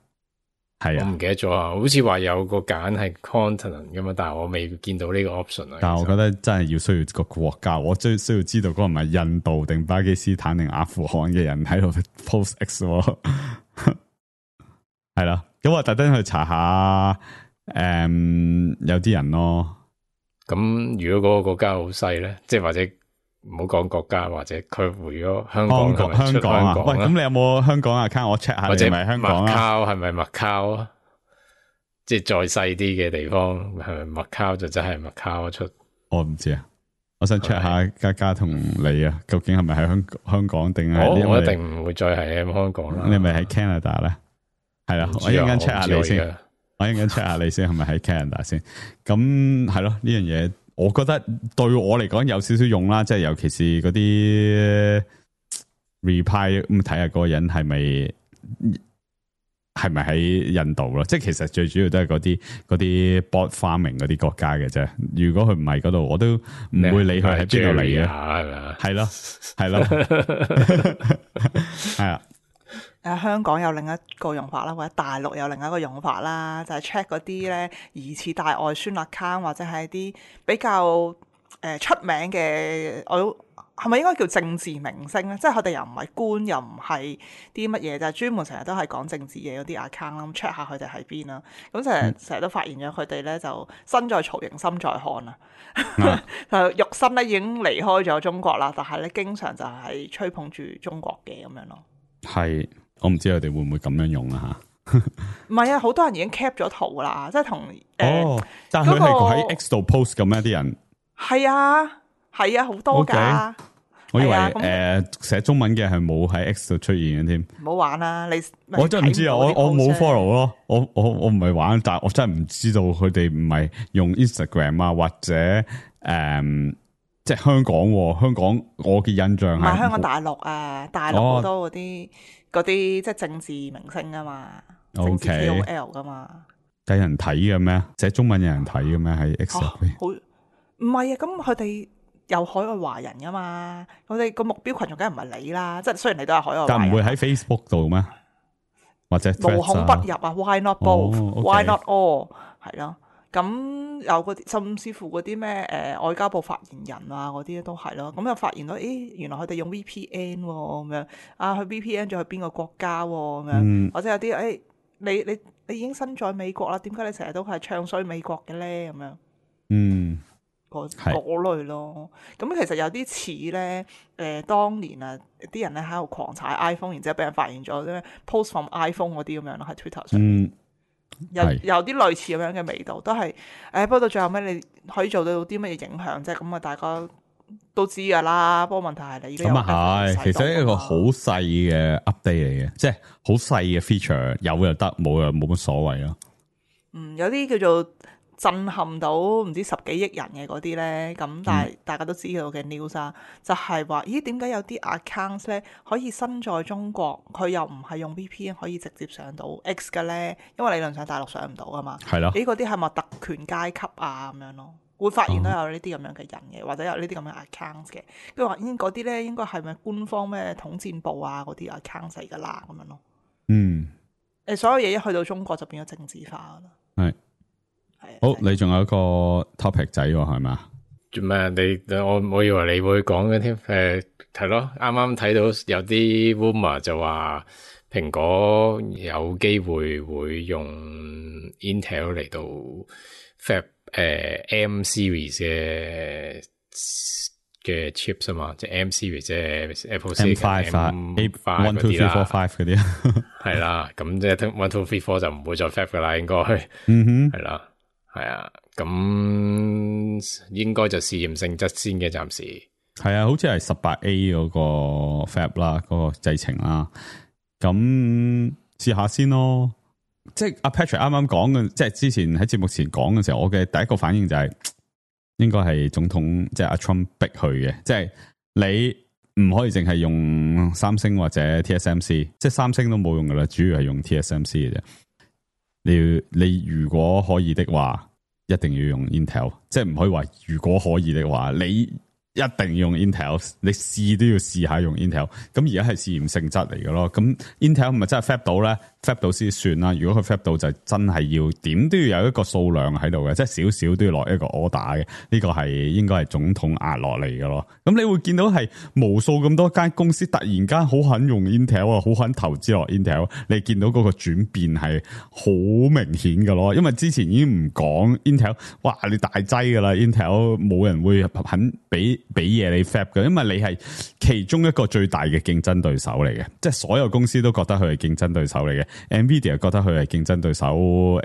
係啊，我唔記得咗啊。好似話有個揀係 continent 噶嘛，但係我未見到呢個 option 啊。但係我覺得真係要需要個國家，我最需要知道嗰個係咪印度定巴基斯坦定阿富汗嘅人喺度 post X 喎。係啦，咁我特登去查下，誒、嗯，有啲人咯。咁如果嗰個國家好細咧，即係或者。唔好講國家或者佢回咗香港，香港香港啊！喂，咁你有冇香港 account？我 check 下你係咪香港啊？係咪麥卡啊？即係再細啲嘅地方，係咪麥卡就真係麥卡出？我唔知啊，我想 check 下嘉嘉同你啊，究竟係咪喺香香港定係？我我一定唔會再係喺香港啦。你係咪喺 Canada 咧？係啦，我一陣間 check 下你先，我一陣間 check 下你先，係咪喺 Canada 先？咁係咯，呢樣嘢。我覺得對我嚟講有少少用啦，即係尤其是嗰啲 reply 咁睇下嗰個人係咪係咪喺印度咯？即係其實最主要都係嗰啲嗰啲 bot farming 嗰啲國家嘅啫。如果佢唔係嗰度，我都唔會理佢喺邊度嚟嘅。係咯，係咯，係啊。誒香港有另一個用法啦，或者大陸有另一個用法啦，就係 check 嗰啲咧疑似大外宣 account 或者係啲比較誒、呃、出名嘅，我係咪應該叫政治明星咧？即係佢哋又唔係官，又唔係啲乜嘢，就係、是、專門成日都係講政治嘢嗰啲 account 啦。咁 check 下佢哋喺邊啦。咁成日成日都發現咗佢哋咧就身在曹營心在漢啊，就肉身咧已經離開咗中國啦，但係咧經常就係吹捧住中國嘅咁樣咯。係。我唔知佢哋會唔會咁樣用啊吓？唔係啊，好多人已經 cap 咗圖啦，即係同誒。哦，但係佢係喺 X 度 post 咁咩？啲人係啊，係啊，好多噶。我以為誒寫中文嘅係冇喺 X 度出現嘅添。唔好玩啦，你我真係唔知啊！我我冇 follow 咯，我我我唔係玩，但係我真係唔知道佢哋唔係用 Instagram 啊，或者誒、嗯、即係香港、啊。香港我嘅印象係唔係香港大陸啊，大陸好多嗰啲嗰啲即係政治明星啊嘛，政治 K O L 噶嘛。有人睇嘅咩？寫中文有人睇嘅咩？喺 X 入邊？好唔係啊！咁佢哋。有海外華人噶嘛？我哋個目標群眾梗係唔係你啦，即係雖然你都係海外華人，但唔會喺 Facebook 度咩？或者無孔不入啊 ？Why not both？Why、哦 okay. not all？ 係咯，咁有嗰啲甚至乎嗰啲咩誒外交部發言人啊嗰啲都係咯。咁又發現到，誒原來佢哋用 V P N 喎、哦、咁樣啊，去 V P N 咗去邊個國家喎、哦、咁樣，嗯、或者有啲誒、哎、你你你已經身在美國啦，點解你成日都係唱衰美國嘅咧？咁樣嗯。嗰類咯，咁其實有啲似咧，誒、呃、當年啊，啲人咧喺度狂踩 iPhone，然之後俾人發現咗啲 post from iPhone 嗰啲咁樣咯，喺 Twitter 上面，嗯、有有啲類似咁樣嘅味道，都係誒、哎。不過到最後尾，你可以做到啲乜嘢影響啫？咁啊，大家都知噶啦。不過問題係你而家咁啊係，其實一個好細嘅 update 嚟嘅，即係好細嘅 feature，有又得，冇又冇乜所謂咯。嗯，有啲叫做。震撼到唔知十幾億人嘅嗰啲咧，咁但係大家都知道嘅 news 啊，就係話咦點解有啲 accounts 咧可以身在中國，佢又唔係用 V P N 可以直接上到 X 嘅咧？因為理論上大陸上唔到啊嘛。係咯。咦嗰啲係咪特權階級啊咁樣咯？會發現都有呢啲咁樣嘅人嘅，或者有呢啲咁樣 accounts 嘅。跟住話咦嗰啲咧應該係咪官方咩統戰部啊嗰啲 accounts 嚟㗎啦咁樣咯。嗯。誒所有嘢一去到中國就變咗政治化啦。係。好，你仲有一個 topic 仔喎，係咪？做咩？你我我以為你會講嘅添，誒係咯，啱啱睇到有啲 rumor 就話蘋果有機會會用 Intel 嚟到 Fab 誒、呃、M series 嘅嘅 chips 啊嘛，即係 M series 即係 Apple M five 啊 ，A one two three four five 嗰啲，係啦，咁即係 one two three four 就唔會再 Fab 噶啦，應該，嗯哼，係啦。係啊，咁應該就試驗性質先嘅，暫時係啊，好似係十八 A 嗰個 Fab 啦，嗰、嗰個製程啦，咁試下先咯。即係阿 Patrick 啱啱講嘅，即係之前喺節目前講嘅時候，我嘅第一個反應就係、是、應該係總統即係阿 Trump 逼佢嘅，即係你唔可以淨係用三星或者 T S M C， 即係三星都冇用噶啦，主要係用 T S M C 嘅啫。你你如果可以的話，一定要用 Intel， 即係唔可以話如果可以的話，你一定要用 Intel， 你試都要試下用 Intel。咁而家係試驗性質嚟嘅咯。咁 Intel 唔係真係 Fab 到咧 ，Fab 到先算啦。如果佢 Fab 到就真係要點都要有一個數量喺度嘅，即係少少都要落一個 order 嘅。呢個係應該係總統壓落嚟嘅咯。咁你會見到係無數咁多間公司突然間好肯用 Intel 啊，好肯投資落 Intel。你見到嗰個轉變係好明顯嘅咯。因為之前已經唔講 Intel， 哇你大劑噶啦 Intel， 冇人會肯俾。俾嘢你 Fab 嘅，因為你係其中一個最大嘅競爭對手嚟嘅，即係所有公司都覺得佢係競爭對手嚟嘅。Nvidia 覺得佢係競爭對手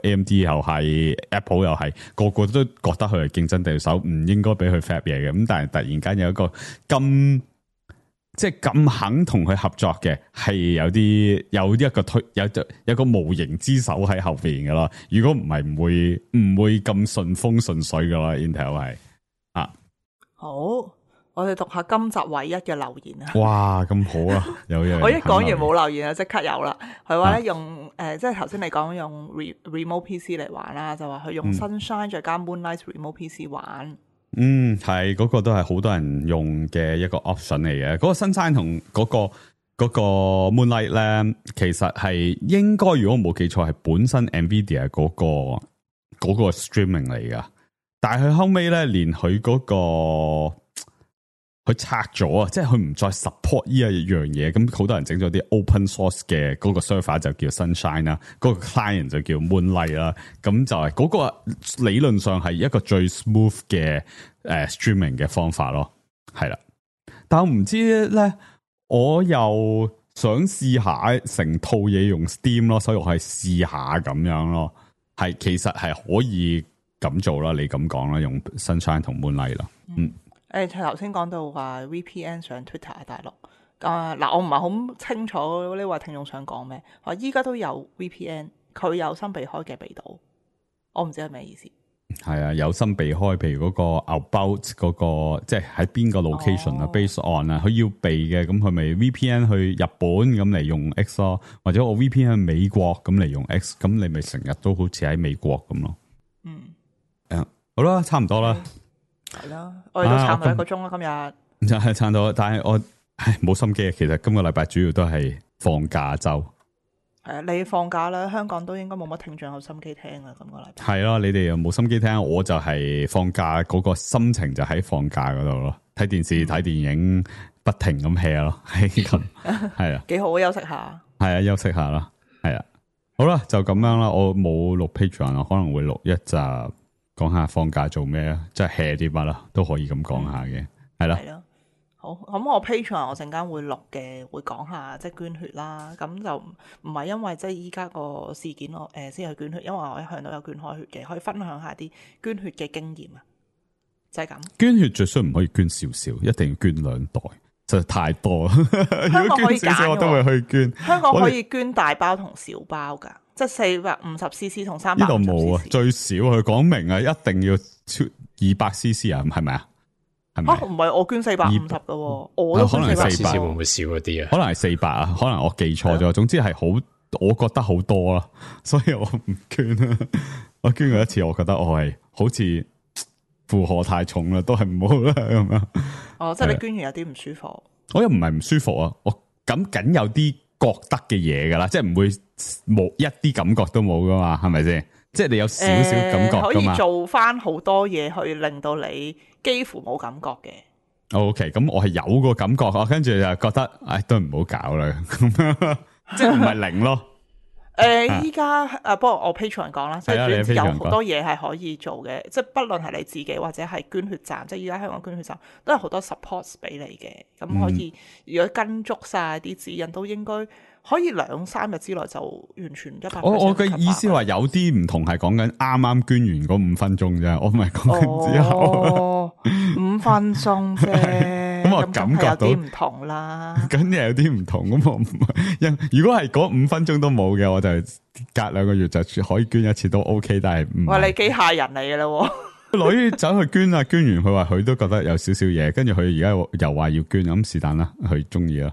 ，A M D 又係 ，Apple 又係，個個都覺得佢係競爭對手，唔應該俾佢 Fab 嘢嘅。咁但係突然間有一個咁即係咁肯同佢合作嘅，係有啲有一個推有有個無形之手喺後邊噶啦。如果唔係，唔會唔會咁順風順水噶啦。Intel 係啊，好。我哋讀下今集唯一嘅留言啊！哇，咁好啊！有嘢我一講完冇留言啊，即刻有啦。佢話咧用誒、呃，即係頭先你講用 remote P C 嚟玩啦，就話佢用 Sunshine 再加 Moonlight remote P C 玩。嗯，係嗰、嗰個都係好多人用嘅一個 option 嚟嘅。嗰、嗰個 Sunshine 同嗰、嗰個嗰、嗰個 Moonlight 咧，其實係應該如果我冇記錯，係本身 Nvidia 嗰、嗰個嗰、嗰個 streaming 嚟噶。但係佢後尾咧，連佢嗰、嗰個佢拆咗啊！即係佢唔再 support 呢一樣嘢，咁好多人整咗啲 open source 嘅嗰個 server 就叫 Sunshine 啦，嗰個 client 就叫 Moonlight 啦。咁就係嗰個理論上係一個最 smooth 嘅誒 streaming 嘅方法咯，係啦。但我唔知咧，我又想試下成套嘢用 Steam 咯，所以我係試下咁樣咯。係其實係可以咁做啦，你咁講啦，用 Sunshine 同 Moonlight 啦，嗯。誒，頭先講到話 V P N 上 Twitter 喺大陸，啊嗱，我唔係好清楚呢位聽眾想講咩。話依家都有 V P N， 佢有心避開嘅避到，我唔知係咩意思。係啊，有心避開，譬如嗰個 about 嗰個，即係喺邊個 location 啊、哦、，based on 啊，佢要避嘅，咁佢咪 V P N 去日本咁嚟用 X 咯，或者我 V P N 去美國咁嚟用 X， 咁你咪成日都好似喺美國咁咯。嗯，誒，好啦，差唔多啦。係啦，我哋都撐到一個鐘啦，今日就係撐到，但係我唉冇心機啊。其實今個禮拜主要都係放假周。係啊，你放假啦，香港都應該冇乜聽眾有心機聽啊。今個禮拜係咯，你哋又冇心機聽，我就係放假嗰個心情就喺放假嗰度咯，睇電視睇、嗯、電影，不停咁 hea 咯，係咁係啊，幾好啊，休息下。係啊，休息下啦，係啊，好啦，就咁樣啦。我冇錄 Patreon，我可能會錄一集講下放假做咩啊，即係 hea 啲乜啦，都可以咁講下嘅，係啦。係咯。好，咁我 Patreon 我陣間會錄嘅，會講下即係捐血啦。咁就唔係因為即係依家個事件我誒先去捐血，因為我一向都有捐開血嘅，可以分享下啲捐血嘅經驗啊。就係咁。捐血最衰唔可以捐少少，一定要捐兩袋，實在太多。香港可以捐少少我都會去捐。香港可以捐大包同小包噶，即係四百五十 C C 同三百。呢度冇啊，最少佢講明啊，一定要超二百 C C 啊，係咪啊？啊，唔係我捐四百五十噶，我都可能四百，會唔會少一啲啊？可能係四百啊，可能我記錯咗。總之係好，我覺得好多啦，所以我唔捐啦。我捐過一次，我覺得我係好似負荷太重啦，都係唔好啦咁樣。哦，即係你捐完有啲唔舒服。我又唔係唔舒服啊，我咁緊有啲覺得嘅嘢噶啦，即係唔會冇一啲感覺都冇噶嘛，係咪先？即係你有少少感覺噶嘛、呃、可以做翻好多嘢去令到你幾乎冇感覺嘅。O K， 咁我係有個感覺，我跟住就覺得，唉，都唔好搞啦，咁樣，即係唔係零咯。誒、呃，依家誒，不過我 Patreon 講啦，所以有好多嘢係可以做嘅，即係不論係你自己或者係捐血站，即係依家香港捐血站都有好多 support 俾你嘅，咁可以、嗯、如果跟足晒啲指引，都應該可以兩三日之內就完全一百 percent。我我嘅意思話有啲唔同係講緊啱啱捐完嗰五分鐘啫，我唔係講緊之後。哦，五分鐘啫。咁我感覺到有啲唔同啦，咁又有啲唔同。咁我唔係，如果係嗰五分鐘都冇嘅，我就隔兩個月就可以捐一次都 OK。但係唔係，喂，你機械人嚟嘅啦，女走去捐啊，捐完佢話佢都覺得有少少嘢，跟住佢而家又話要捐，咁是但啦，佢中意啦。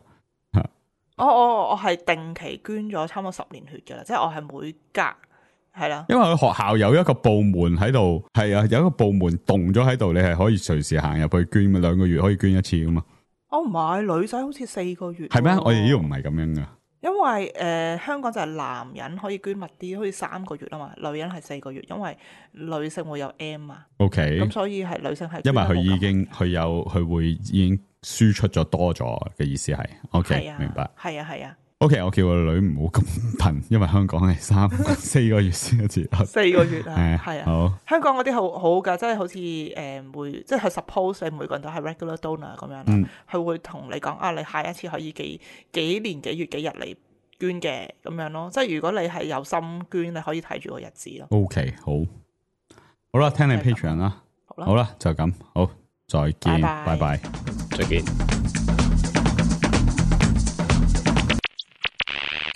我我我係定期捐咗差唔多十年血嘅啦，即係我係每隔係啦。因為佢學校有一個部門喺度，係啊，有一個部門動咗喺度，你係可以隨時行入去捐，兩個月可以捐一次噶嘛。哦，唔係，女仔好似四個月。係咩？我哋呢度唔係咁樣噶。因為誒、呃、香港就係男人可以捐密啲，好似三個月啊嘛，女人係四個月，因為女性會有 M 啊。O K。咁所以係女性係。因為佢已經佢有佢會已經輸出咗多咗嘅意思係。O K，明白。係啊係啊。O K，我叫個女唔好咁頻，因為香港係三四個月先一次。四個月啊，係啊。好。香港嗰啲好好噶，即係好似誒會，即係佢 suppose 你每個人都係 regular donor 咁樣啦。佢、嗯、會同你講啊，你下一次可以幾幾年幾月幾日嚟捐嘅咁樣咯。即係如果你係有心捐，你可以睇住個日子咯。O K，好。好啦，聽你 Patreon 啦。好啦，好啦，就咁，好，再見，拜拜，再見。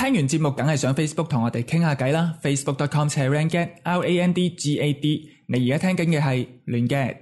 聽完節目梗係上 Facebook 同我哋傾下偈啦 ，facebook dot com slash randgad R A N D G A D。你而家聽緊嘅係亂 gad。